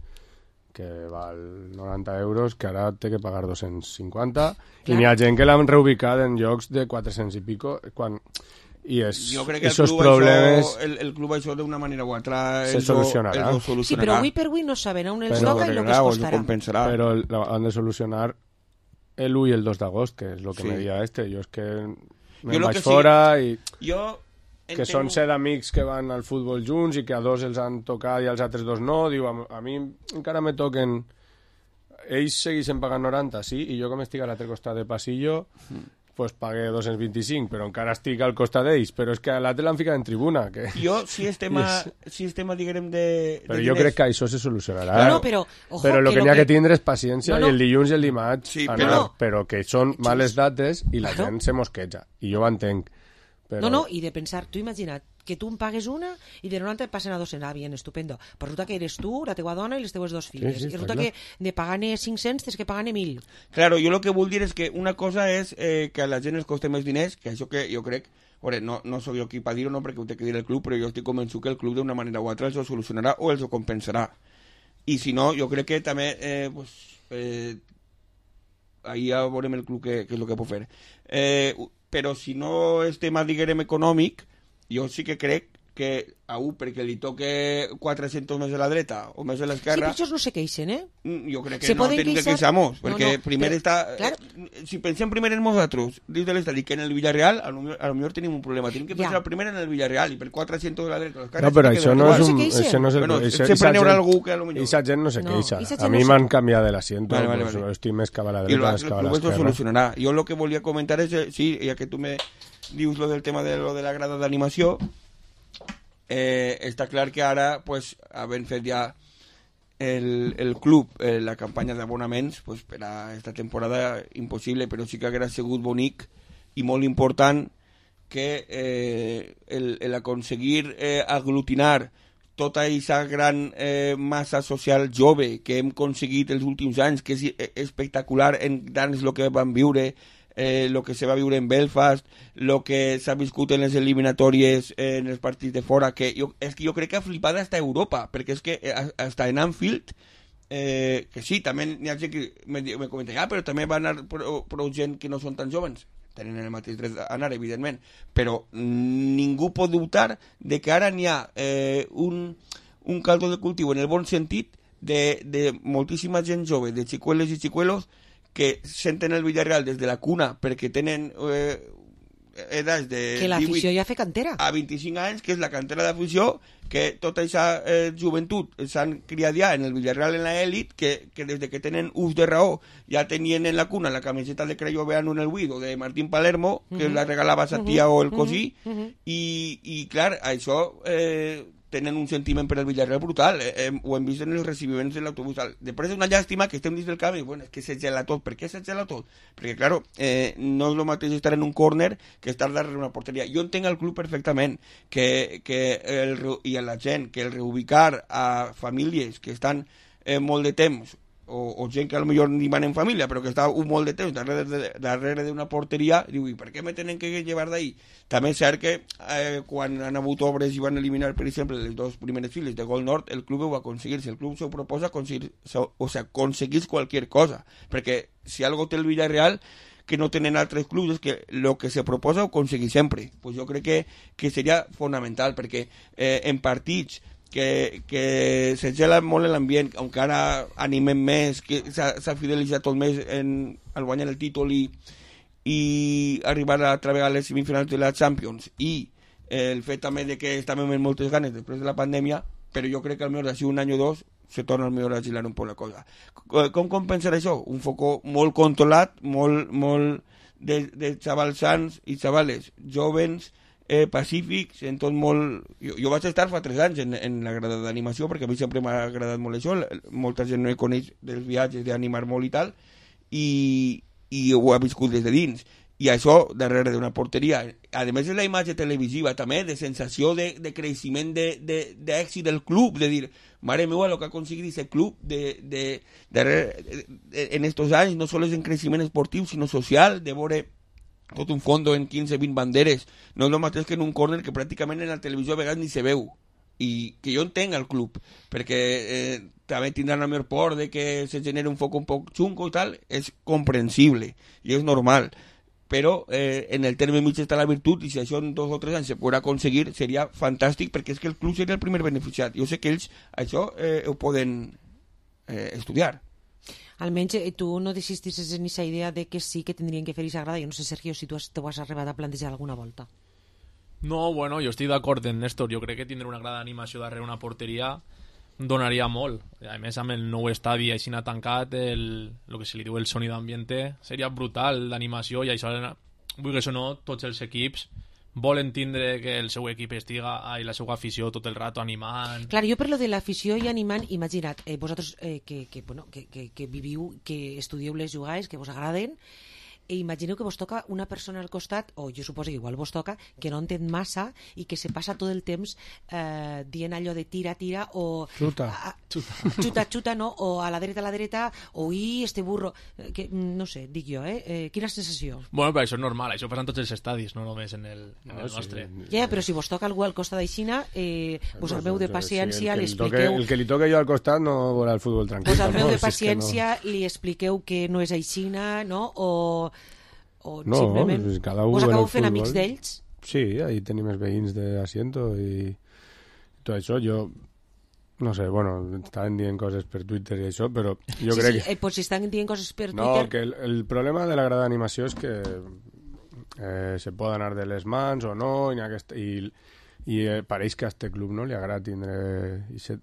que val noranta euros, que ara té que pagar dos-cents cinquanta, clar. I n'hi ha gent que l'han reubicat en llocs de quatre-cents i pico, quan... I és, jo crec que el club, problemes això, el, el club això d'una manera o altra se solucionarà. solucionarà. Sí, però avui per avui no saben on els toca i el que es costarà. Però han de solucionar el u i el dos d'agost, que és el que sí. me dia este. Jo és que me'n vaig fora sí. i... Jo que entenc... són set amics que van al futbol junts i que a dos els han tocat i als altres dos no. Diu, a, a mi encara me toquen... Ells segueixen pagant noranta, sí, i jo com estic a l'altre costat de passillo... Mm. pues pagué dos-cents vint-i-cinc, però encara estic al costat d'ells, però és que a l'altre l'han ficat en tribuna. Que... Jo, si és tema, si és tema diguem, de... Però de jo diners... crec que això se solucionarà. No, no, però... Ojo, però el que, que n'hi ha que... que tindre és paciència, no, no. i el dilluns i el dimarts, sí, anar, però... però que són males dates i la gent se mosqueja, i jo ho entenc. Però... No, no, i de pensar, tu imagina't, que tu em pagues una i de noranta et passen a dos-cents. Ah, bien, estupendo. Però resulta que eres tu, la teua dona i les teues dos filles. Sí, sí, i resulta clar. Que de pagar-ne cinc-cents tens que pagar-ne mil. Claro, jo el que vull dir és que una cosa és eh, que a la gent els costa més diners, que això que jo crec Veure, no, no soc jo qui per dir-ho, no, perquè ho té que dir el club, però jo estic convençut que el club d'una manera o altra els ho solucionarà o els ho compensarà. I si no, jo crec que també eh, pues, eh, ahir ja veurem el club què, què és el que pot fer. Eh, però si no és tema, diguem, econòmic, jo sí que crec que a un perquè li toque quatre-cents més a la dreta o més a l'esquerra... Sí, però ells no se queixen, eh? Jo crec que se no tenim que queixar-nos, perquè no, no, primer però, està... Claro. Eh, si pensem primer en nosaltres, dins de l'estadi, que en el Villarreal, a lo, a lo millor tenim un problema. Tenim que pensar ja. primer en el Villarreal i per quatre-cents a la dreta... No, però això no, és un, això no és el... Bueno, això, sempre n'hi haurà algú que a lo millor... Esa gent no se queixa. No, a mi no m'han canviat de l'asiento, vale, vale, pues, vale. estic més cap a la dreta, més cap a l'esquerra. I el solucionarà. Jo el que volia comentar és, sí, ja que tu me dius lo del tema de lo de la grada d'animació, Eh, està clar que ara, pues, havent fet ja el, el club, eh, la campanya d'abonaments, pues, per a esta temporada impossible, però sí que haguera sigut bonic i molt important que eh, el, el aconseguir eh, aglutinar tota aquesta gran eh, massa social jove que hem aconseguit els últims anys, que és espectacular en tant el que vam viure, eh, lo que se va viure en Belfast, lo que s'ha viscut en les eliminatòries, eh, en els partits de fora, que jo, és que jo crec que ha flipat hasta Europa, perquè és que hasta en Anfield, eh, que sí, també n'hi ha gent que me, me comenta, ah, però també va anar prou, prou gent que no són tan jovens, tenen el mateix dret a anar, evidentment, però ningú pot dubtar de que ara n'hi ha eh, un, un caldo de cultiu en el bon sentit de, de moltíssima gent jove, de xicueles i xicuelos, que senten el Villarreal des de la cuna perquè tenen eh, edats de que l'afició ja fa cantera a vint-i-cinc anys, que és la cantera d'afició, que tota aquesta eh, joventut s'han criat ja en el Villarreal en l'elit, que, que des de que tenen ús de raó ja tenien en la cuna la camiseta de Crayo Veano en el Guido de Martín Palermo, que uh -huh. la regalava sa tia uh -huh. o el cosí, uh -huh. i, i clar, això eh, tenen un sentiment per al Villarreal brutal, eh, eh, ho hem vist en els recibiments de l'autobús. Després és una llàstima que estem dins del camp i bueno, és que se gela tot. Per què se gela tot? Perquè, claro, eh, no és el mateix estar en un córner que estar darrere una porteria. Jo entenc el club perfectament que, que el, i a la gent que el reubicar a famílies que estan eh, molt de temps o, o gent que a lo millor ni van en família però que està un molt de temps darrere, de, darrere d'una porteria, diu, i per què me tenen que llevar d'ahí? També és cert que eh, quan han hagut obres i van eliminar, per exemple, les dues primeres files de Gol Nord, el club ho va aconseguir. Si el club s'ho proposa, aconseguir, o sea, aconseguís qualsevol cosa, perquè si algo té el Villarreal que no tenen altres clubs és que el que se proposa ho aconseguir sempre. Pues jo crec que, que seria fonamental, perquè eh, en partits que, que se gela molt l'ambient, encara animem més, que s'ha fidelitzat tot més en, al guanyar el títol i, i arribar a treballar a les semifinals de la Champions, i eh, el fet també de que estàvem amb moltes ganes després de la pandèmia, però jo crec que almenys d'ací un any o dos se torna almenys a girar un poc la cosa. Com compensar això? Un foco molt controlat, molt, molt de, de xavals sants i xavales jovens, eh, pacífics, en tot molt... Jo, jo vaig estar fa tres anys en, en la grada d'animació, perquè a mi sempre m'ha agradat molt això, molta gent no hi coneix dels viatges, d'animar molt i tal, i, i ho ha viscut des de dins. I això darrere d'una porteria. A més de la imatge televisiva també, de sensació de, de creixement d'èxit de, de, del club, de dir, mare meva, el que ha aconseguit aquest club de, de, darrere, de, de, en estos anys, no sols en creixement esportiu, sinó social, de veure tot un fondo en quinze vint banderes. No és el mateix que en un córner que pràcticament en la televisió a vegades ni se veu. I que jo entenc el club, perquè eh, també tindran la millor por de que se generi un foc un poc xungo i tal, és comprensible i és normal. Però eh, en el terme mig està la virtut, i si això en dos o tres anys se podrà aconseguir seria fantàstic, perquè és que el club seria el primer beneficiat. Jo sé que ells això eh, ho poden eh, estudiar. Almenys eh, tu no desistis en aquesta idea de que sí que tindrien que fer aquesta grada. Jo no sé, Sergio, si tu has, t'ho has arribat a plantejar alguna volta. No, bueno, jo estic d'acord amb Néstor. Jo crec que tindre una grada d'animació darrere una porteria donaria molt. A més, amb el nou estadi així n'ha tancat, el, el que se li diu el sonido ambiente, seria brutal d'animació, i això, vull que això no, tots els equips volen tindre que el seu equip estiga i la seva afició tot el rato animant. Clar, jo per lo de l'afició i animant, imagina't, eh, vosaltres eh, que, que, bueno, que, que, que viviu, que estudieu les jugades, que vos agraden, i imagineu que vos toca una persona al costat, o jo suposo que igual vos toca, que no entén massa i que se passa tot el temps eh, dient allò de tira, tira, o Xuta. a, xuta, xuta, no? O a la dreta, a la dreta, o i este burro, eh, que no sé, dic jo, eh? eh quina sensació? Bueno, però això és normal, això passa en tots els estadis, no només en el, en No, el sí. nostre. Ja, però si vos toca algú al costat d'Aixina, eh, vos armeu de paciència, sí, li el, que li toque, expliqueu... el que li toque jo al costat no veurà el futbol tranquil. Vos armeu de tampoc, si és que paciència, li expliqueu que no és Aixina, no? O, o no, simplement pues cada un vos en el acabeu fent futbol. amics d'ells? Sí, ahí tenim els veïns d'Asiento i tot això. Jo, no sé, bueno, estaven dient coses per Twitter i això, però jo sí, crec sí, que... eh, pues si estan dient coses per No, Twitter... que el, el problema de la grada d'animació és que eh, se pot anar de les mans o no, i, aquest, i, i eh, pareix que a este club no li agrada tindre aquest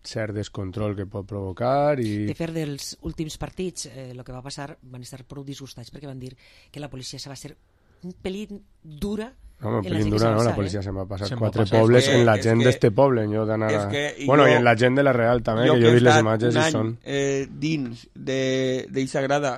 cert descontrol que pot provocar i... De fer dels últims partits, eh, el que va passar, van estar prou disgustats perquè van dir que la policia se va ser un pelín dura. No, un en la pelín gent que dura, se va no? La passar, policia eh? se m'ha passat Se m'ha quatre passat. pobles És que- en la és gent que- d'este poble. Jo d'anar és a... que Bueno, jo- i en la gent de la Real també, jo que jo he vist he les estat imatges un i any, són... eh, dins d'eixa grada,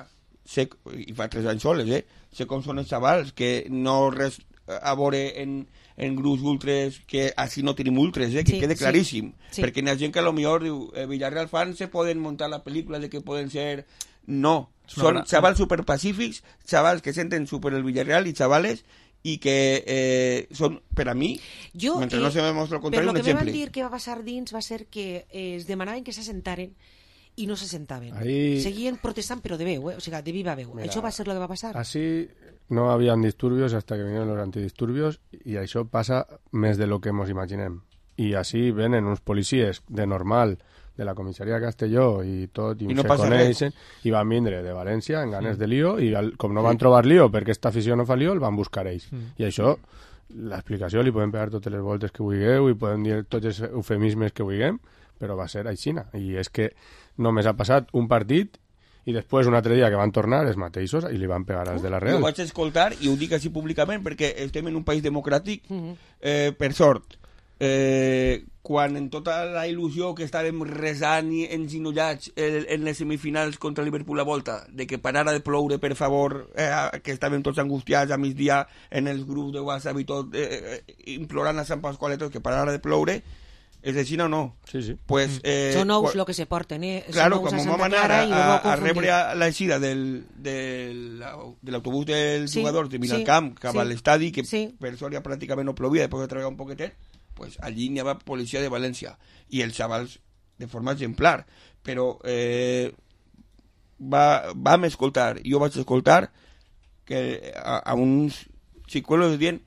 sé, i fa tres anys soles, eh? Sé com són els xavals, que no res a veure en, en grups ultres, que així no tenim ultres, eh? Que Sí, quede sí, claríssim. sí. Perquè hi ha gent que a lo millor diu, eh, Villarreal fans se poden muntar la pel·lícula de que poden ser... No, És una són gran- xavals superpacífics, xavals que senten super el Villarreal i xavales i que eh, són, per a mi, Jo, mentre eh, no se demostra el contrari, per un lo que me van exemple. dir que va passar dins va ser que eh, es demanaven que s'assentaren i no s'assentaven. Ahí- Seguien protestant, però de veu, eh? O sigui, de viva veu. Mira, Això va ser el que va passar. Así no habían disturbios hasta que vinieron los antidisturbios y això passa més de lo que ens imaginem. I així venen uns policies de normal de la comissaria de Castelló i tot, i, I no se passa coneixen, i van vindre de València en ganes de lío, i al, com no van trobar lío perquè esta afició no fa lío, el van buscar ells. Mm. I això, l'explicació li podem pegar totes les voltes que vulgueu i podem dir tots els eufemismes que vulguem, però va ser aixina. I és que només ha passat un partit i després un altre dia que van tornar els mateixos i li van pegar als de la Real. Jo vaig escoltar, i ho dic així públicament perquè estem en un país democràtic, Mhm. eh, per sort. Eh, quan en tota la il·lusió que estàvem resant i enginollats en, en les semifinals contra Liverpool a volta, de que parara de ploure, per favor, eh, que estàvem tots angustiats a migdia en els grups de WhatsApp i tot, eh, eh, implorant a Sant Pasqualetos que parara de ploure, és així o no? Sí, sí. Pues, eh, Són ous quan- el que se porten, eh? Són Claro, ous quan a vam Santa anar Clara a, i ho a, vau a confundir. rebre a l'eixida del, del, de l'autobús dels Sí, jugadors de sí, Vilalcamp cap sí, a l'estadi, que sí. per sort ja pràcticament no plovia, després de treballar un poquetet, pues allí n'hi havia policia de València i els xavals de forma exemplar, però eh, va, vam escoltar, jo vaig escoltar que a, a uns xicuelos dient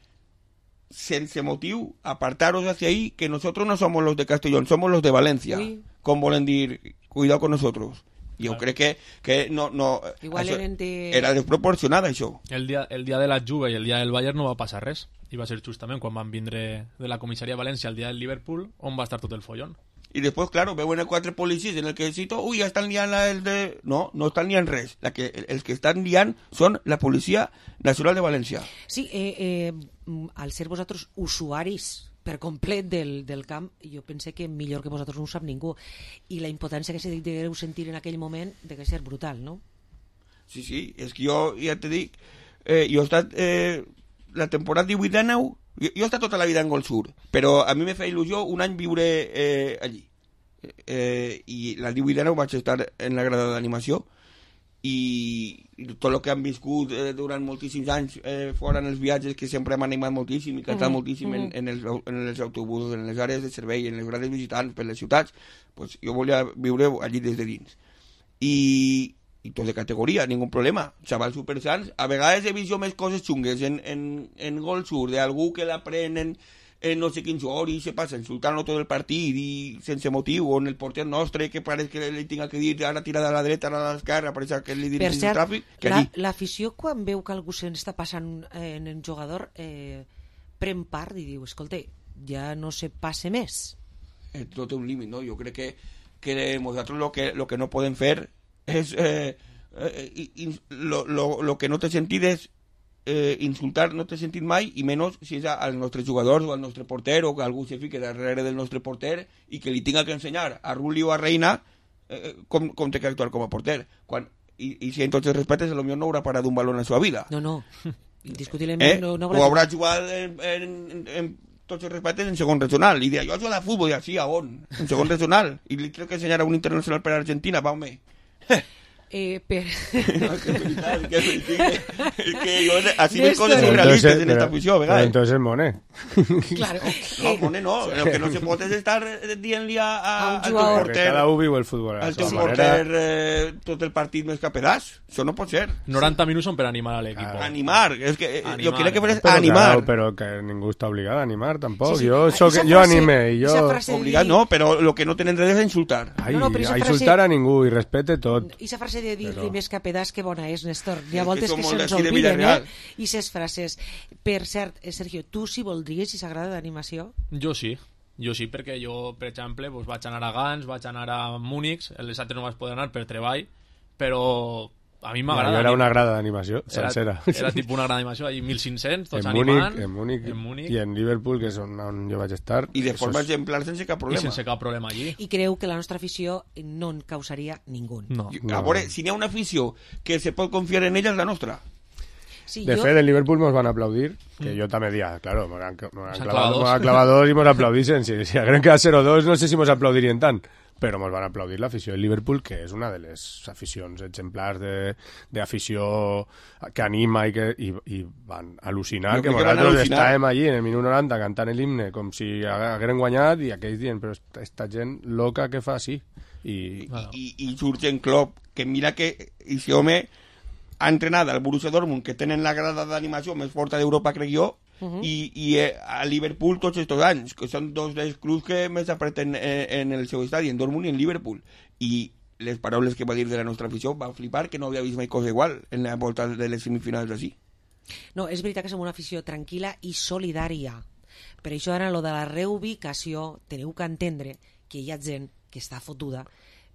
sense motiu, apartaros hacia ahí, que nosotros no somos los de Castellón, somos los de Valencia. Ui. Com volen dir, cuidado con nosotros. Jo crec que, que no, no, Igual això eren de... era desproporcionat, això. El dia, el dia de la Juve i el dia del Bayern no va passar res. I va ser justament quan van vindre de la comissaria de València el dia del Liverpool, on va estar tot el follón. I després, claro, veuen quatre policies en el que cito, ui, ja estan liant la, el de... No, no estan liant res. La que, els que estan liant són la Policia Nacional de València. Sí, eh, eh, mm, al ser vosaltres usuaris per complet del, del camp, jo pense que millor que vosaltres no ho sap ningú. I la impotència que se degueu sentir en aquell moment de que ser brutal, no? Sí, sí, és que jo ja te dic, eh, jo he estat eh, la temporada divuit dinou, jo, jo he estat tota la vida en Gol Sur, però a mi me feia il·lusió un any viure eh, allí. Eh, I la divuit dinou vaig estar en la grada d'animació i, i tot el que han viscut eh, durant moltíssims anys eh, fora en els viatges, que sempre hem animat moltíssim i cantat Mhm, moltíssim en, mhm. en, els, en els autobusos, en les àrees de servei, en les grades visitants per les ciutats, pues jo volia viure allí des de dins. I, i tot de categoria, ningú problema, xavals supersans. A vegades he vist jo més coses xungues en, en, en Gol Sur, d'algú que l'aprenen en no sé quins hores i se passa insultant-lo tot el partit i sense motiu, o en el porter nostre que pareix que li tinga que dir ara tirada a la dreta, ara a l'esquerra, pareix que li Per dirigís el cert, tràfic, que la- allí. l'afició quan veu que algú se'n està passant eh, en el jugador eh, pren part i diu, escolta, ja no se passe més. Eh, tot té un límit, no? Jo crec que, que nosaltres lo que, lo que no podem fer és eh, eh, i- i- lo, lo, lo que no té sentit és eh, insultar, no té sentit mai, i menys si és als nostres jugadors o al nostre porter, o que algú se fique darrere del nostre porter i que li tinga que ensenyar a Ruli o a Reina eh, com, com té que actuar com a porter, quan y, y si en tots els respectes, potser no haurà parat un balón en la seva vida. No, no. Indiscutiblement eh? no, no haurà... O haurà jugat en, en, en, en tots els respectes en segon regional. I dirà, jo jugo de futbol, i així, a on? En segon regional. I li tengo que ensenyar a un internacional per Argentina, va, home. Eh, per... no, que es veritat, que es veritat. Es que yo, así ven cosas surrealistas en esta afición, ¿verdad? Pero entonces es Monet. Claro. No, Monet no. Lo que no se pot és estar dient-li a, a, a al teu porter... Cada u viu el futbol. Al teu porter eh, tot el partit més que a pedaç. Això no pot ser. noranta minuts són per animar a l'equip. Ah, animar. És que animar. jo crec que és pero animar. Claro, pero que ningú està obligat a animar, tampoc. Sí, sí. Yo, so que, frase, yo anime y yo... Obligat no, però lo que no tenen dret és insultar. Ai, no, no, però a frase... insultar a ningú i respete tot. I esa frase de dir Però... més que a pedaç que bona és, Néstor. Hi ha És voltes que que, som se'ns molt d'ací de obliden, Villarreal. eh? I ses frases. Per cert, eh, Sergio, tu si voldries, si s'agrada d'animació? Jo sí. Jo sí, perquè jo, per exemple, doncs vaig anar a Gans, vaig anar a Múnich, les altres no vaig poder anar per treball, però a mi m'agrada. Ja, era una grada d'animació sencera. Era, era tipus una grada d'animació, allà mil cinc-cents, tots en animant. Múnich, en, Múnich, en Múnich i en Liverpool, que és on, on jo vaig estar. I de forma exemplar sense cap problema. I sense cap problema allí. I creu que la nostra afició no en causaria ningú. No. A veure, si n'hi ha una afició que se pot confiar en ella, és la nostra. Sí, de yo... fet, en Liverpool nos van a aplaudir, que mm. yo también decía, claro, me han, me han clavado, clavado, clavado dos y nos aplaudisen. Si, si hagueren quedat cero dos, no sé si nos aplaudirían tan. Però ens van aplaudir l'afició del Liverpool, que és una de les aficions exemplars d'afició que anima i, que, i, i van al·lucinar, no, que nosaltres estàvem allí en el minut noranta cantant l'himne com si hagueren guanyat i aquells dient, però esta, esta gent loca que fa així. I, bueno. I, i, i Jürgen Klopp, que mira que aquest home ha entrenat al Borussia Dortmund, que tenen la grada d'animació més forta d'Europa, crec jo, Uh-huh. i, i eh, a Liverpool tots estos anys, que són dos dels clubs que més apreten en, en el seu estadi, en Dortmund i en Liverpool, i les paraules que va dir de la nostra afició va flipar, que no havia vist mai cosa igual en la volta de les semifinals d'ací. No, és veritat que som una afició tranquil·la i solidària, per això ara lo de la reubicació teniu que entendre que hi ha gent que està fotuda,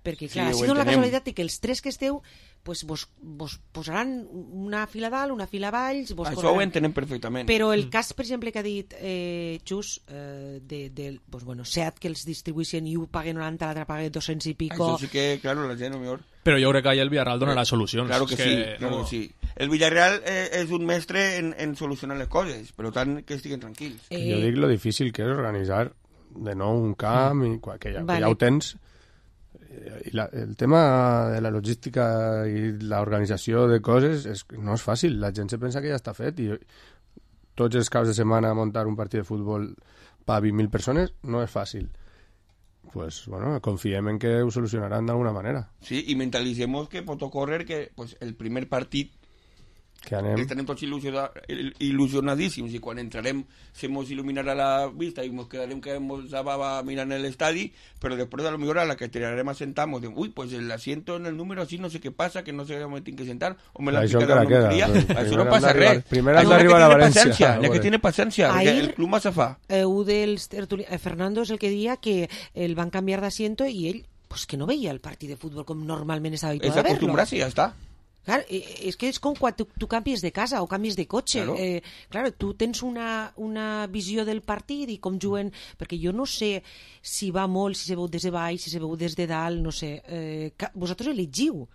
perquè clar, sí, ha sigut la casualitat que els tres que esteu pues vos, vos posaran una fila dalt, una fila valls... Vos Això correran... ho entenem perfectament. Però el cas, per exemple, que ha dit eh, Xus, eh, de, de pues, bueno, Seat, que els distribueixen i ho paguen noranta, l'altre paga dos-cents i pico... Això sí que, claro, la gent, no millor... Però jo crec que el Villarreal donarà solucions. Claro que, que sí, claro no... que sí. El Villarreal eh, és un mestre en, en solucionar les coses, per tant, que estiguen tranquils. Eh... Jo dic lo difícil que és organitzar de nou un camp, i, que, ja, vale. que ja ho tens... I la, el tema de la logística i l'organització de coses és, no és fàcil, la gent se pensa que ja està fet i tots els caps de setmana muntar un partit de futbol per vint mil persones no és fàcil. Pues bueno, confiem en que ho solucionaran d'alguna manera. Sí, i mentalitzem que pot ocórrer que pues, el primer partit que anem... estarem tots il·lusionadíssims i quan entrarem se mos il·luminarà la vista i mos quedarem que mos va mirant l'estadi, però després a lo millor a la que tirarem a sentar mos diem, ui, pues el asiento en el número así no sé què passa, que no sé on me tinc que sentar o me l'han picat a una queria, això no passa res. Primer has d'arribar a València. Ja que tiene paciencia, que el club massa fa. Eh, un dels tertuli... eh, Fernando és el que dia que el van canviar d'asiento i ell pues, que no veia el partit de futbol com normalment estava habituat a verlo. És acostumbrar-se i ja està. Claro, es que es com quan tu, tu canvies de casa o canvies de cotxe. Claro, eh, claro tu tens una, una visió del partit i com juguen... Perquè jo no sé si va molt, si se veu des de baix, si se veu des de dalt, no sé. Eh, vosaltres elegiu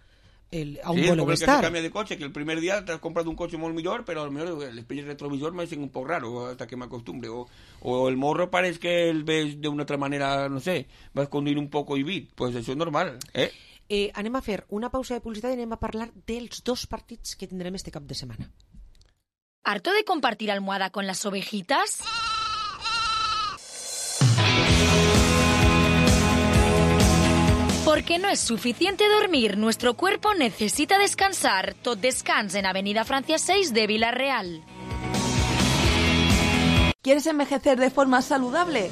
el, a on sí, voleu estar. Sí, com el que se canvia de cotxe, que el primer dia t'has comprat un cotxe molt millor, però al millor l'espell retrovisor m'ha sigut un poc raro hasta que m'acostumbre. O, o el morro pareix que el ves d'una altra manera, no sé, vas conduir un poco i bit. Pues això és normal, eh? Eh, anem a fer una pausa de publicitat i anem a parlar dels dos partits que tindrem este cap de setmana. ¿Harto de compartir almohada con las ovejitas? Porque no es suficiente dormir, nuestro cuerpo necesita descansar. Tot Descans en Avenida Francia seis de Villarreal. ¿Quieres envejecer de forma saludable?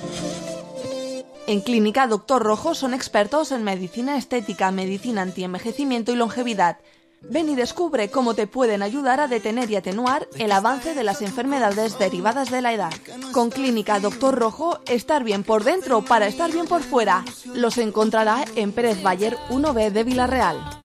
En Clínica Doctor Rojo son expertos en medicina estética, medicina antienvejecimiento y longevidad. Ven y descubre cómo te pueden ayudar a detener y atenuar el avance de las enfermedades derivadas de la edad. Con Clínica Doctor Rojo, estar bien por dentro para estar bien por fuera. Los encontrará en Pérez Bayer uno B de Villarreal.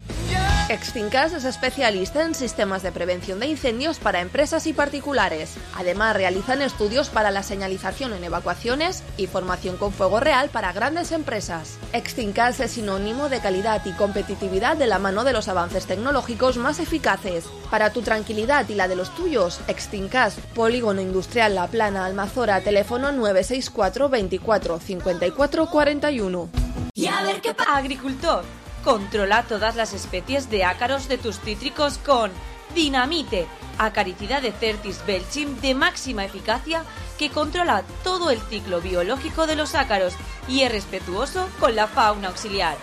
Extincas es especialista en sistemas de prevención de incendios para empresas y particulares. Además, realizan estudios para la señalización en evacuaciones y formación con fuego real para grandes empresas. Extincas es sinónimo de calidad y competitividad de la mano de los avances tecnológicos más eficaces. Para tu tranquilidad y la de los tuyos, Extincas, Polígono Industrial La Plana, Almazora, teléfono nueve seis cuatro veinticuatro cincuenta y cuatro cuarenta y uno. Y a ver qué pasa. Agricultor, controla todas las especies de ácaros de tus cítricos con Dinamite, acaricida de Certis Belchim de máxima eficacia que controla todo el ciclo biológico de los ácaros y es respetuoso con la fauna auxiliar.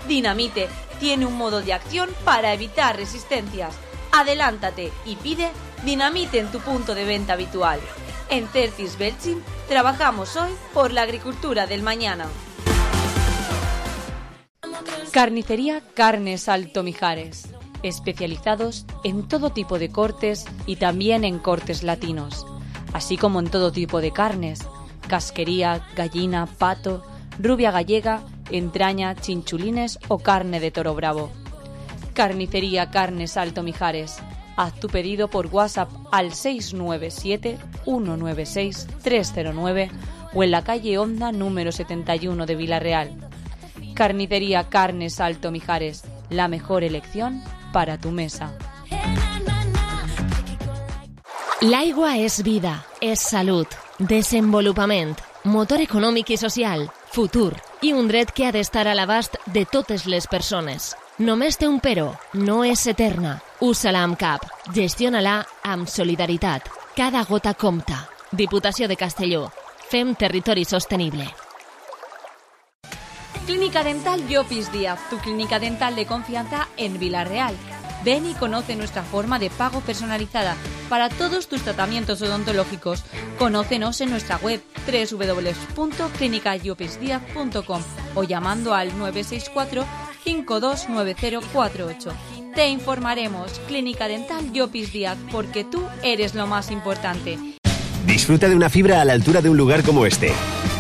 Dinamite tiene un modo de acción para evitar resistencias. Adelántate y pide Dinamite en tu punto de venta habitual. En Certis Belchim trabajamos hoy por la agricultura del mañana. Carnicería Carnes Alto Mijares, especializados en todo tipo de cortes y también en cortes latinos, así como en todo tipo de carnes, casquería, gallina, pato, rubia gallega, entraña, chinchulines o carne de toro bravo. Carnicería Carnes Alto Mijares. Haz tu pedido por WhatsApp al seis nueve siete uno nueve seis tres cero nueve o en la calle Honda número setenta y uno de Vilarreal. Carnicería Carnes Alto Mijares, la mejor elección para tu mesa. L'aigua és vida, és salut, desenvolupament, motor econòmic i social, futur i un dret que ha d'estar a l'abast de totes les persones. Només té un però, no és eterna. Usa-la amb cap, gestiona-la amb solidaritat. Cada gota compta. Diputació de Castelló. Fem territori sostenible. Clínica Dental Llopis Díaz, tu clínica dental de confianza en Vilarreal. Ven y conoce nuestra forma de pago personalizada para todos tus tratamientos odontológicos. Conócenos en nuestra web doble u doble u doble u punto clínica llopis díaz punto com o llamando al nueve seis cuatro cinco dos nueve cero cuatro ocho. Te informaremos. Clínica Dental Llopis Díaz, porque tú eres lo más importante. Disfruta de una fibra a la altura de un lugar como este.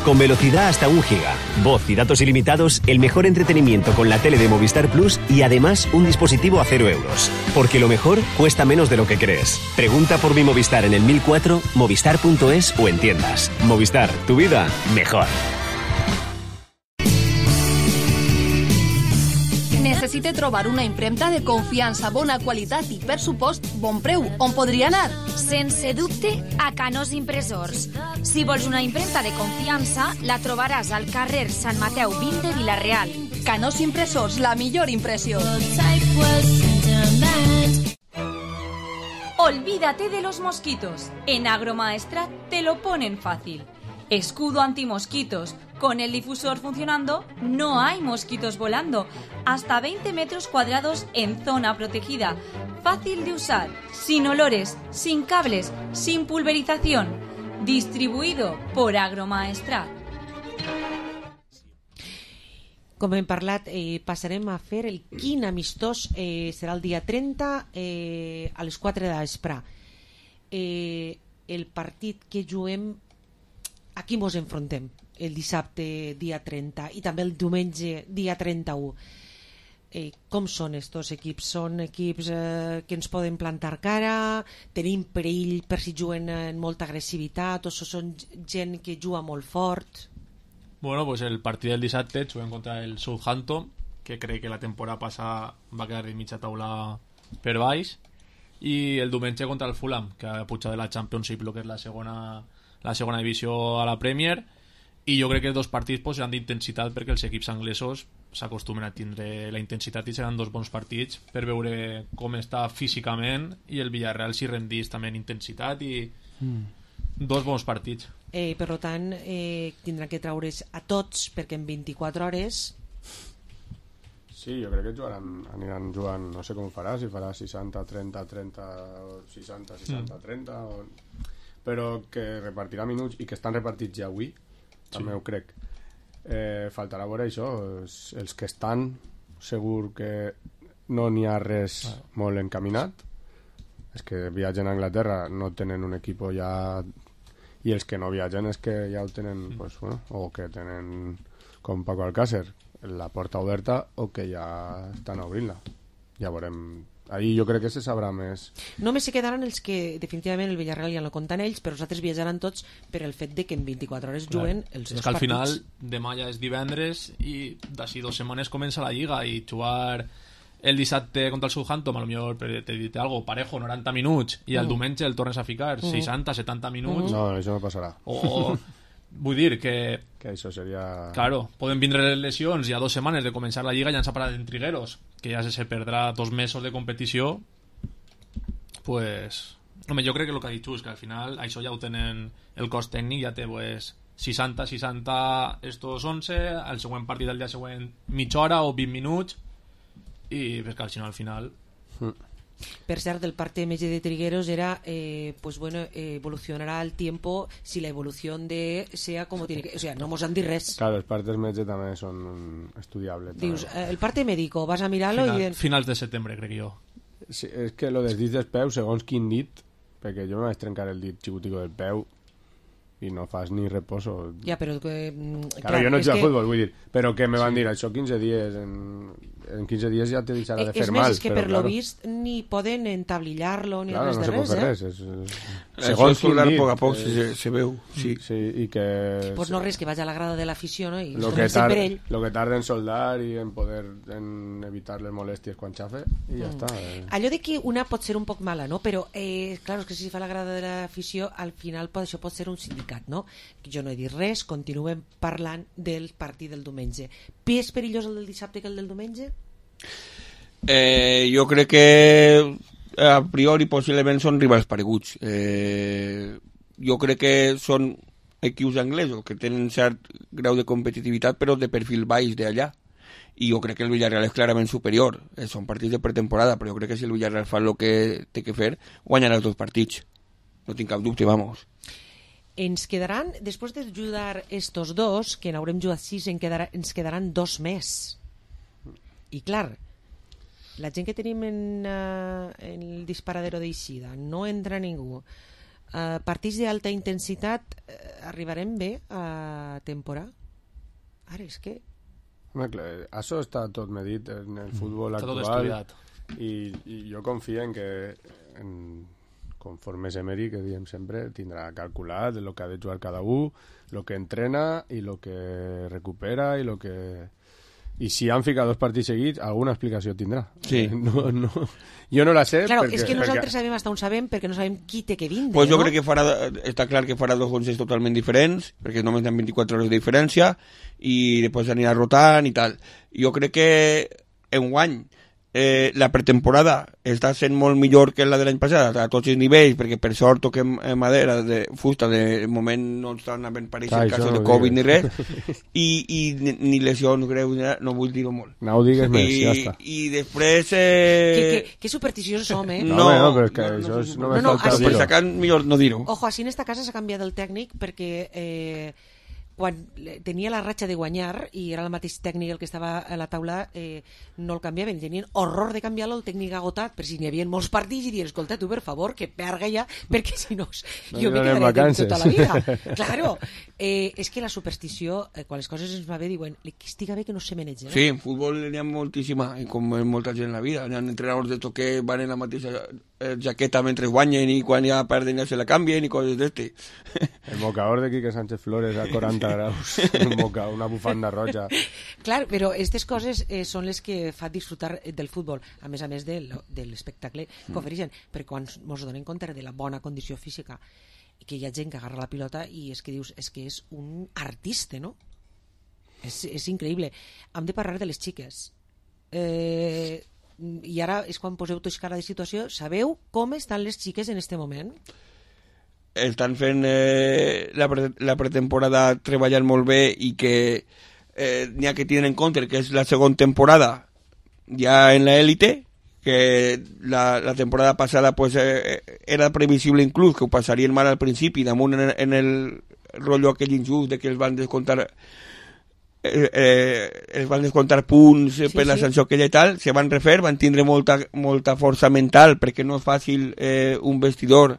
Con velocidad hasta un giga, voz y datos ilimitados, el mejor entretenimiento con la tele de Movistar Plus y además un dispositivo a cero euros. Porque lo mejor cuesta menos de lo que crees. Pregunta por mi Movistar en el mil cuatro, movistar punto es o en tiendas. Movistar, tu vida mejor. Necessite trobar una impremta de confiança, bona qualitat i, per supost, bon preu. On podria anar? Sense dubte, a Canós Impressors. Si vols una impremta de confiança, la trobaràs al carrer Sant Mateu vint de Vilarreal. Canós Impressors, la millor impressió. Olvídate de los mosquitos. En Agromaestrat te lo ponen fácil. Escudo antimosquitos. Con el difusor funcionando, no hay mosquitos volando. Hasta veinte metros cuadrados en zona protegida. Fácil de usar, sin olores, sin cables, sin pulverización. Distribuido por Agromaestrat. Com hem parlat, eh, passarem a fer el quin amistós. Eh, serà el dia trenta eh, a les quatre de vespre. Eh, el partit que juguem, a qui mos enfrontem? El dissabte dia trenta i també el diumenge dia trenta-u. Eh, com són estos equips? Són equips eh, que ens poden plantar cara? Tenim perill per si juguen en molta agressivitat? O són gent que juga molt fort? Bueno, pues el partido del dissabte juguem contra el Southampton, que cree que la temporada passada va quedar de mitja taula per baix, i el diumenge contra el Fulham, que ha pujat de la Championship, lo que és la segona, la segona divisió a la Premier. I jo crec que els dos partits pues, seran d'intensitat perquè els equips anglesos s'acostumen a tindre la intensitat i seran dos bons partits per veure com està físicament i el Villarreal s'hi rendís també en intensitat i mm. dos bons partits. Eh, per tant, eh, tindran que treure's a tots perquè en vint-i-quatre hores... Sí, jo crec que jugaran, aniran jugant, no sé com farà, si farà seixanta trenta trenta o seixanta seixanta trenta o... però que repartirà minuts i que estan repartits ja avui. També ho crec. Eh, faltarà veure això. Els, els que estan, segur que no n'hi ha res ah. molt encaminat. Els que viatgen a Anglaterra no tenen un equip ja... I els que no viatgen és que ja ho tenen, mm. pues, bueno, o que tenen, com Paco Alcácer, la porta oberta o que ja estan obrint-la. ja veurem. Ahir jo crec que se sabrà més. Només se quedaran els que definitivament el Villarreal ja no compten ells, però els altres viatjaran tots per el fet de que en vint-i-quatre hores juguen els dos partits. És que al final demà ja és divendres i d'ací dues setmanes comença la Lliga i jugar el dissabte contra el Southampton, a lo millor te dit algo parejo, noranta minuts, i el mm. diumenge el tornes a ficar mm. seixanta, setanta minuts. No, això no passarà. O, vull dir que... Que això seria... Claro, poden vindre les lesions i a dues setmanes de començar la Lliga ja ens ha parat en trigueros, que ja se perdrà dos mesos de competició. Pues... Home, jo crec que el que ha dit Xus, que al final això ja ho tenen el cos tècnic, ja té pues, seixanta, seixanta estos onze, el següent partit del dia següent mitja hora o vint minuts, i pues, que al final mm. Per cert, el parte M G de Trigueros era eh, pues bueno, eh, evolucionará al tiempo si la evolución de sea como tiene que, o sea, no mos han dit res. Claro, els partes M G també són estudiables. Dius, eh, el parte médico, vas a mirarlo Final, i... De... Finals de setembre, crec jo. Sí, és que lo dels dits dels peus, segons quin dit, perquè jo me vaig trencar el dit xicutico del peu i no fas ni reposo. Ja, però que... Claro, clar, jo no jugo que... a futbol, vull dir, però que me van sí. dir això quinze dies, en, en quinze dies ja te deixarà de fer és mal. És més, és que però, per claro, lo vist ni poden entablillar-lo ni claro, res no de res, no eh? Res, és, és... Segons soldar a poc a poc eh, se, se veu, sí. Sí, i que... Pues no res, que vaig a la grada de l'afició, no? I lo que, tar, lo que tarda en soldar i en poder en evitar les molèsties quan xafe, i ja mm. està. Eh. Allò de que una pot ser un poc mala, no? Però, eh, claro, és que si fa la grada de l'afició, al final pot, això pot ser un sindicat, no? Jo no he dit res, continuem parlant del partit del diumenge. Més perillós el del dissabte que el del diumenge? Eh, jo crec que a priori possiblement són rivals pareguts. Eh, jo crec que són equips anglesos que tenen cert grau de competitivitat però de perfil baix d'allà, i jo crec que el Villarreal és clarament superior. Eh, són partits de pretemporada, però jo crec que si el Villarreal fa el que té que fer guanyarà els dos partits, no tinc cap dubte, vamos. Ens quedaran, després de jugar estos dos, que n'haurem jugat sis, en quedarà, ens quedaran dos més. I clar, la gent que tenim en, uh, en el disparadero d'Eixida, no entra ningú. Uh, partits d'alta intensitat, uh, arribarem bé a temporada? Ara és que... Home, clar, això està tot medit en el futbol mm, actual i, i jo confio en que en, conforme és Emery, que diem sempre, tindrà calculat el que ha de jugar cada un, el que entrena i el que recupera i el que... I si han ficat dos partits seguits, alguna explicació tindrà. Sí. No, no, jo no la sé. Claro, perquè, és que nosaltres perquè... sabem hasta on sabem perquè no sabem qui té que vindre, pues jo no? crec que farà, està clar que farà dos onces totalment diferents, perquè només hi ha vint-i-quatre hores de diferència, i després anirà rotant i tal. Jo crec que enguany eh, la pretemporada està sent molt millor que la de l'any passat a tots els nivells, perquè per sort toquem madera de fusta, de moment no estan havent apareixent casos de Covid ni res, i, i ni, ni lesions greus, no vull dir-ho molt. No ho digues més, I, ja està. I després... Eh... Que, que, que supersticiosos som, eh? No, no, no, però és que no, això és, no, no, no, falta dir-ho. Per sacar millor no dir-ho. Ojo, així en esta casa s'ha canviat el tècnic perquè... Eh, quan tenia la ratxa de guanyar i era el mateix tècnic el que estava a la taula, eh, no el canviaven, tenien horror de canviar-lo, el tècnic agotat, per si n'hi havia molts partits, i dir, escolta, tu per favor, que perga ja, perquè si no, no jo me quedaré de tota la vida. Claro, eh, és que la superstició, eh, quan les coses ens va bé, diuen, que estiga bé que no se menege. No? Sí, en futbol n'hi ha moltíssima, i com en molta gent en la vida, n'hi ha entrenadors de tot que van en la mateixa eh, jaqueta mentre guanyen i quan ja perden ja se la canvien i coses d'este. El mocador de Quique Sánchez Flores a quaranta graus, un moca, una bufanda roja. Clar, però aquestes coses eh, són les que fan disfrutar del futbol, a més a més de, de l'espectacle que ofereixen, perquè quan ens donem compte de la bona condició física i que hi ha gent que agarra la pilota i és que dius, és que és un artista, no? És, és increïble. Hem de parlar de les xiques. Eh, I ara és quan poseu tots cara de situació. Sabeu com estan les xiques en este moment? Estan fent eh, la, pre la pretemporada treballant molt bé i que eh, n'hi ha que tenen en compte que és la segona temporada ja en l'élite, que la, la temporada passada pues, eh, era previsible inclús que ho passarien mal al principi, damunt en, en el rotllo aquell injust de que els van descomptar eh, eh, els van descomptar punts eh, sí, per la sí. sanció aquella i tal, se van refer, van tindre molta, molta força mental perquè no és fàcil eh, un vestidor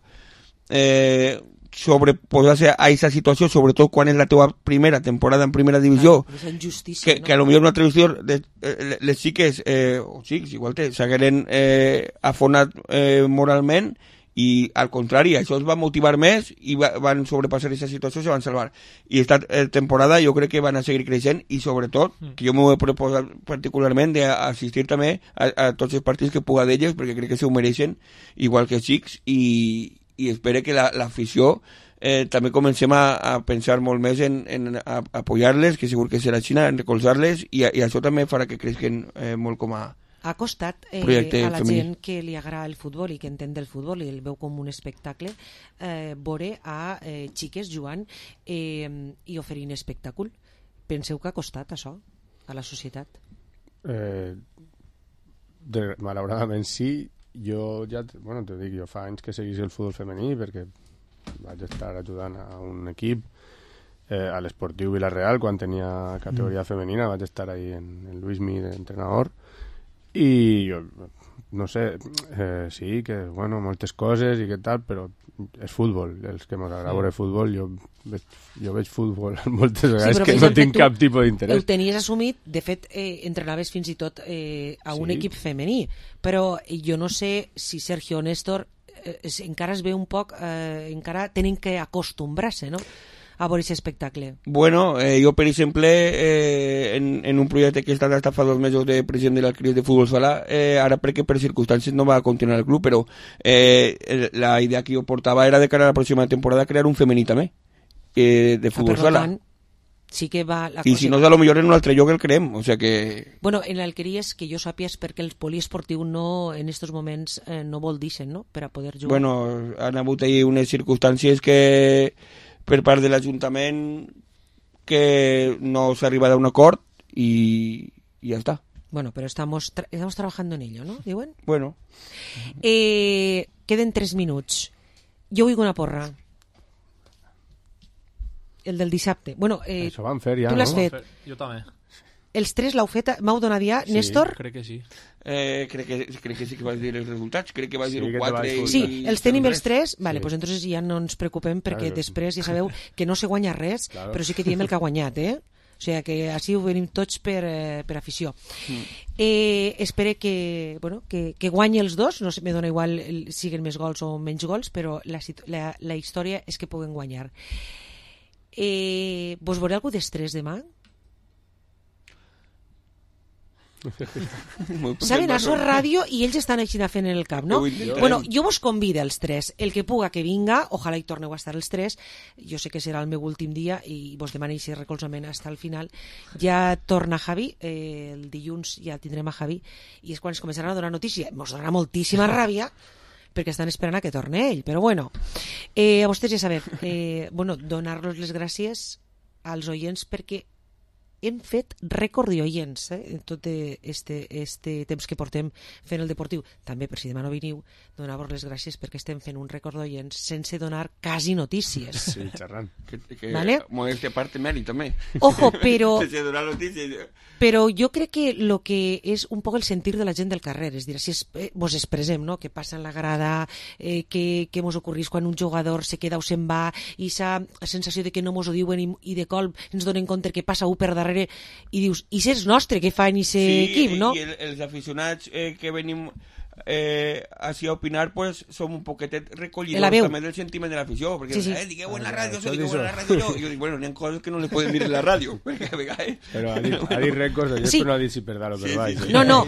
eh, sobreposar-se a aquesta situació, sobretot quan és la teva primera temporada en primera divisió, claro, que, no? que a lo millor una traducció de, eh, les xiques, eh, o xics, igual te s'hagueren eh, afonat eh, moralment, i al contrari, això els va motivar més i va, van sobrepassar aquesta situació i se van salvar. I esta eh, temporada jo crec que van a seguir creixent i sobretot, mm. que jo m'ho he proposat particularment d'assistir també a, a tots els partits que puga d'elles, perquè crec que se ho mereixen, igual que els xics, i, i espero que l'afició la, eh, també comencem a, a pensar molt més en, en a, a apoyar-les, que segur que serà Xina, en recolzar-les, i, i això també farà que creixen eh, molt com a ha costat eh, a la femení. gent que li agrada el futbol i que entén del futbol i el veu com un espectacle, eh, veure a eh, xiques jugant eh, i oferint espectacle. Penseu que ha costat això a la societat? Eh, de, malauradament sí. Jo ja, bueno, te dic, jo fa anys que seguís el futbol femení perquè vaig estar ajudant a un equip eh, a l'Esportiu Vilareal quan tenia categoria mm. femenina, vaig estar ahí en el Luismi d'entrenador. I jo, no sé, eh, sí, que, bueno, moltes coses i que tal, però és futbol, els que m'agrada veure sí. futbol, jo veig, jo veig futbol moltes vegades sí, que no tinc cap tipus d'interès. Ho tenies assumit, de fet, eh, entrenaves fins i tot eh, a un sí. equip femení, però jo no sé si Sergio o Néstor eh, encara es ve un poc, eh, encara tenen que acostumbrar-se, no?, a veure aquest espectacle. Bueno, eh, jo, per exemple, eh, en, en un projecte que he estat hasta fa dos mesos de president de la Cris de Futbol Sala, eh, ara perquè per circumstàncies no va continuar el club, però eh, la idea que jo portava era de cara a la pròxima temporada crear un femení també, eh, de Futbol ah, Sala. Tant, sí que va la I cosa... si no és a lo millor en un altre lloc el creem, o sea que... Bueno, en l'Alqueries, que jo sàpies perquè el poliesportiu no, en estos moments eh, no vol dir-se'n, no?, per a poder jugar. Bueno, han hagut ahí unes circumstàncies que... per part de l'Ajuntament que no s'ha arribat a un acord i, i ja està. Bueno, pero estamos, tra estamos trabajando en ello, ¿no? ¿Diuen? Bueno. Eh, queden tres minuts. Jo vull una porra. El del dissabte. Bueno, eh, Això van fer ja, tu l'has no? fet. Jo també. Els tres l'heu fet? M'heu donat ja? Sí, Néstor? crec que sí. Eh, crec, que, crec que sí que vas dir els resultats, crec que vas Sí, dir que te quatre vas i... Sí, els tenim els tres, vale, Sí. pues entonces ja no ens preocupem perquè Claro. després ja sabeu que no se guanya res, Claro. però sí que diem el que ha guanyat, eh? O sigui que així ho venim tots per, eh, per afició. Mm. Eh, espero que, bueno, que, que guanyi els dos, no sé, me dona igual el, siguen més gols o menys gols, però la, la, la història és que puguen guanyar. Eh, vos veuré algú d'estrès demà? Saben, això és ràdio i ells estan així fent en el cap, no? Bueno, jo vos convido els tres, el que puga que vinga, ojalà hi torneu a estar els tres, jo sé que serà el meu últim dia i vos demano aquest recolzament fins al final. Ja torna Javi, eh, el dilluns ja tindrem a Javi i és quan es començaran a donar notícia, mos donarà moltíssima ràbia perquè estan esperant a que torne ell, però bueno, eh, a vostès ja sabeu, eh, bueno, donar-los les gràcies als oients perquè hem fet rècord d'oients eh, en tot este, este temps que portem fent el Deportiu. També, per si demà no veniu, donar-vos les gràcies perquè estem fent un rècord d'oients sense donar quasi notícies. Sí, xerrant. Que, que ¿Vale? Modestia parte mèrit, també. Ojo, però... sense donar notícies. Però jo crec que el que és un poc el sentir de la gent del carrer, és dir, si es, eh, vos expressem, no?, que passa en la grada, eh, que, que mos ocorrís quan un jugador se queda o se'n va, i sa sensació de que no mos ho diuen i, i de colp ens donen compte que passa un per darrere i dius, i és nostre que fan i se sí, equip, no? I el, els aficionats eh, que venim eh, així a opinar, pues som un poquetet recollidors també del sentiment de l'afició, perquè sí, sí. eh, digueu en la ràdio, això, digueu en la ràdio jo, i jo dic, bueno, n'hi ha coses que no les podem dir en la ràdio, perquè a vegades... Però ha dit, ha dit rècords, jo sí. No ha dit si per dalt o per baix. Sí, sí. No, no.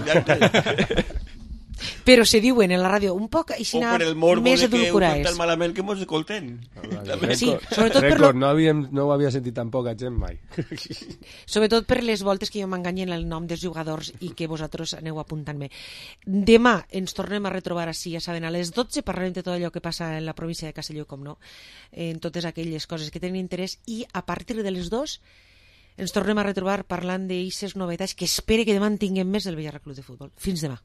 Però se diuen en la ràdio un poc així o per el morbo més de que ho edulcorats. fan tan malament que mos escolten. Sí, sobretot per lo... lo... no, havíem, no ho havia sentit tan poca gent mai. Sobretot per les voltes que jo m'enganyen el nom dels jugadors i que vosaltres aneu apuntant-me. Demà ens tornem a retrobar així, ja saben, a les dotze parlarem de tot allò que passa en la província de Castelló, com no, en totes aquelles coses que tenen interès, i a partir de les dos ens tornem a retrobar parlant d'eixes novetats que espere que demà en tinguem més del Villarreal Club de Futbol. Fins demà.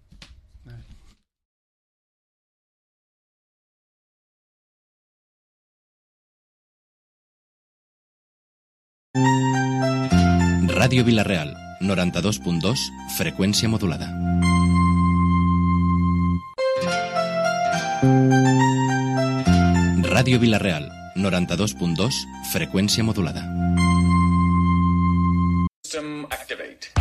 Ràdio Vilareal, noranta-dos punt dos, freqüència modulada. Ràdio Vilareal, noranta-dos punt dos, freqüència modulada. System activate.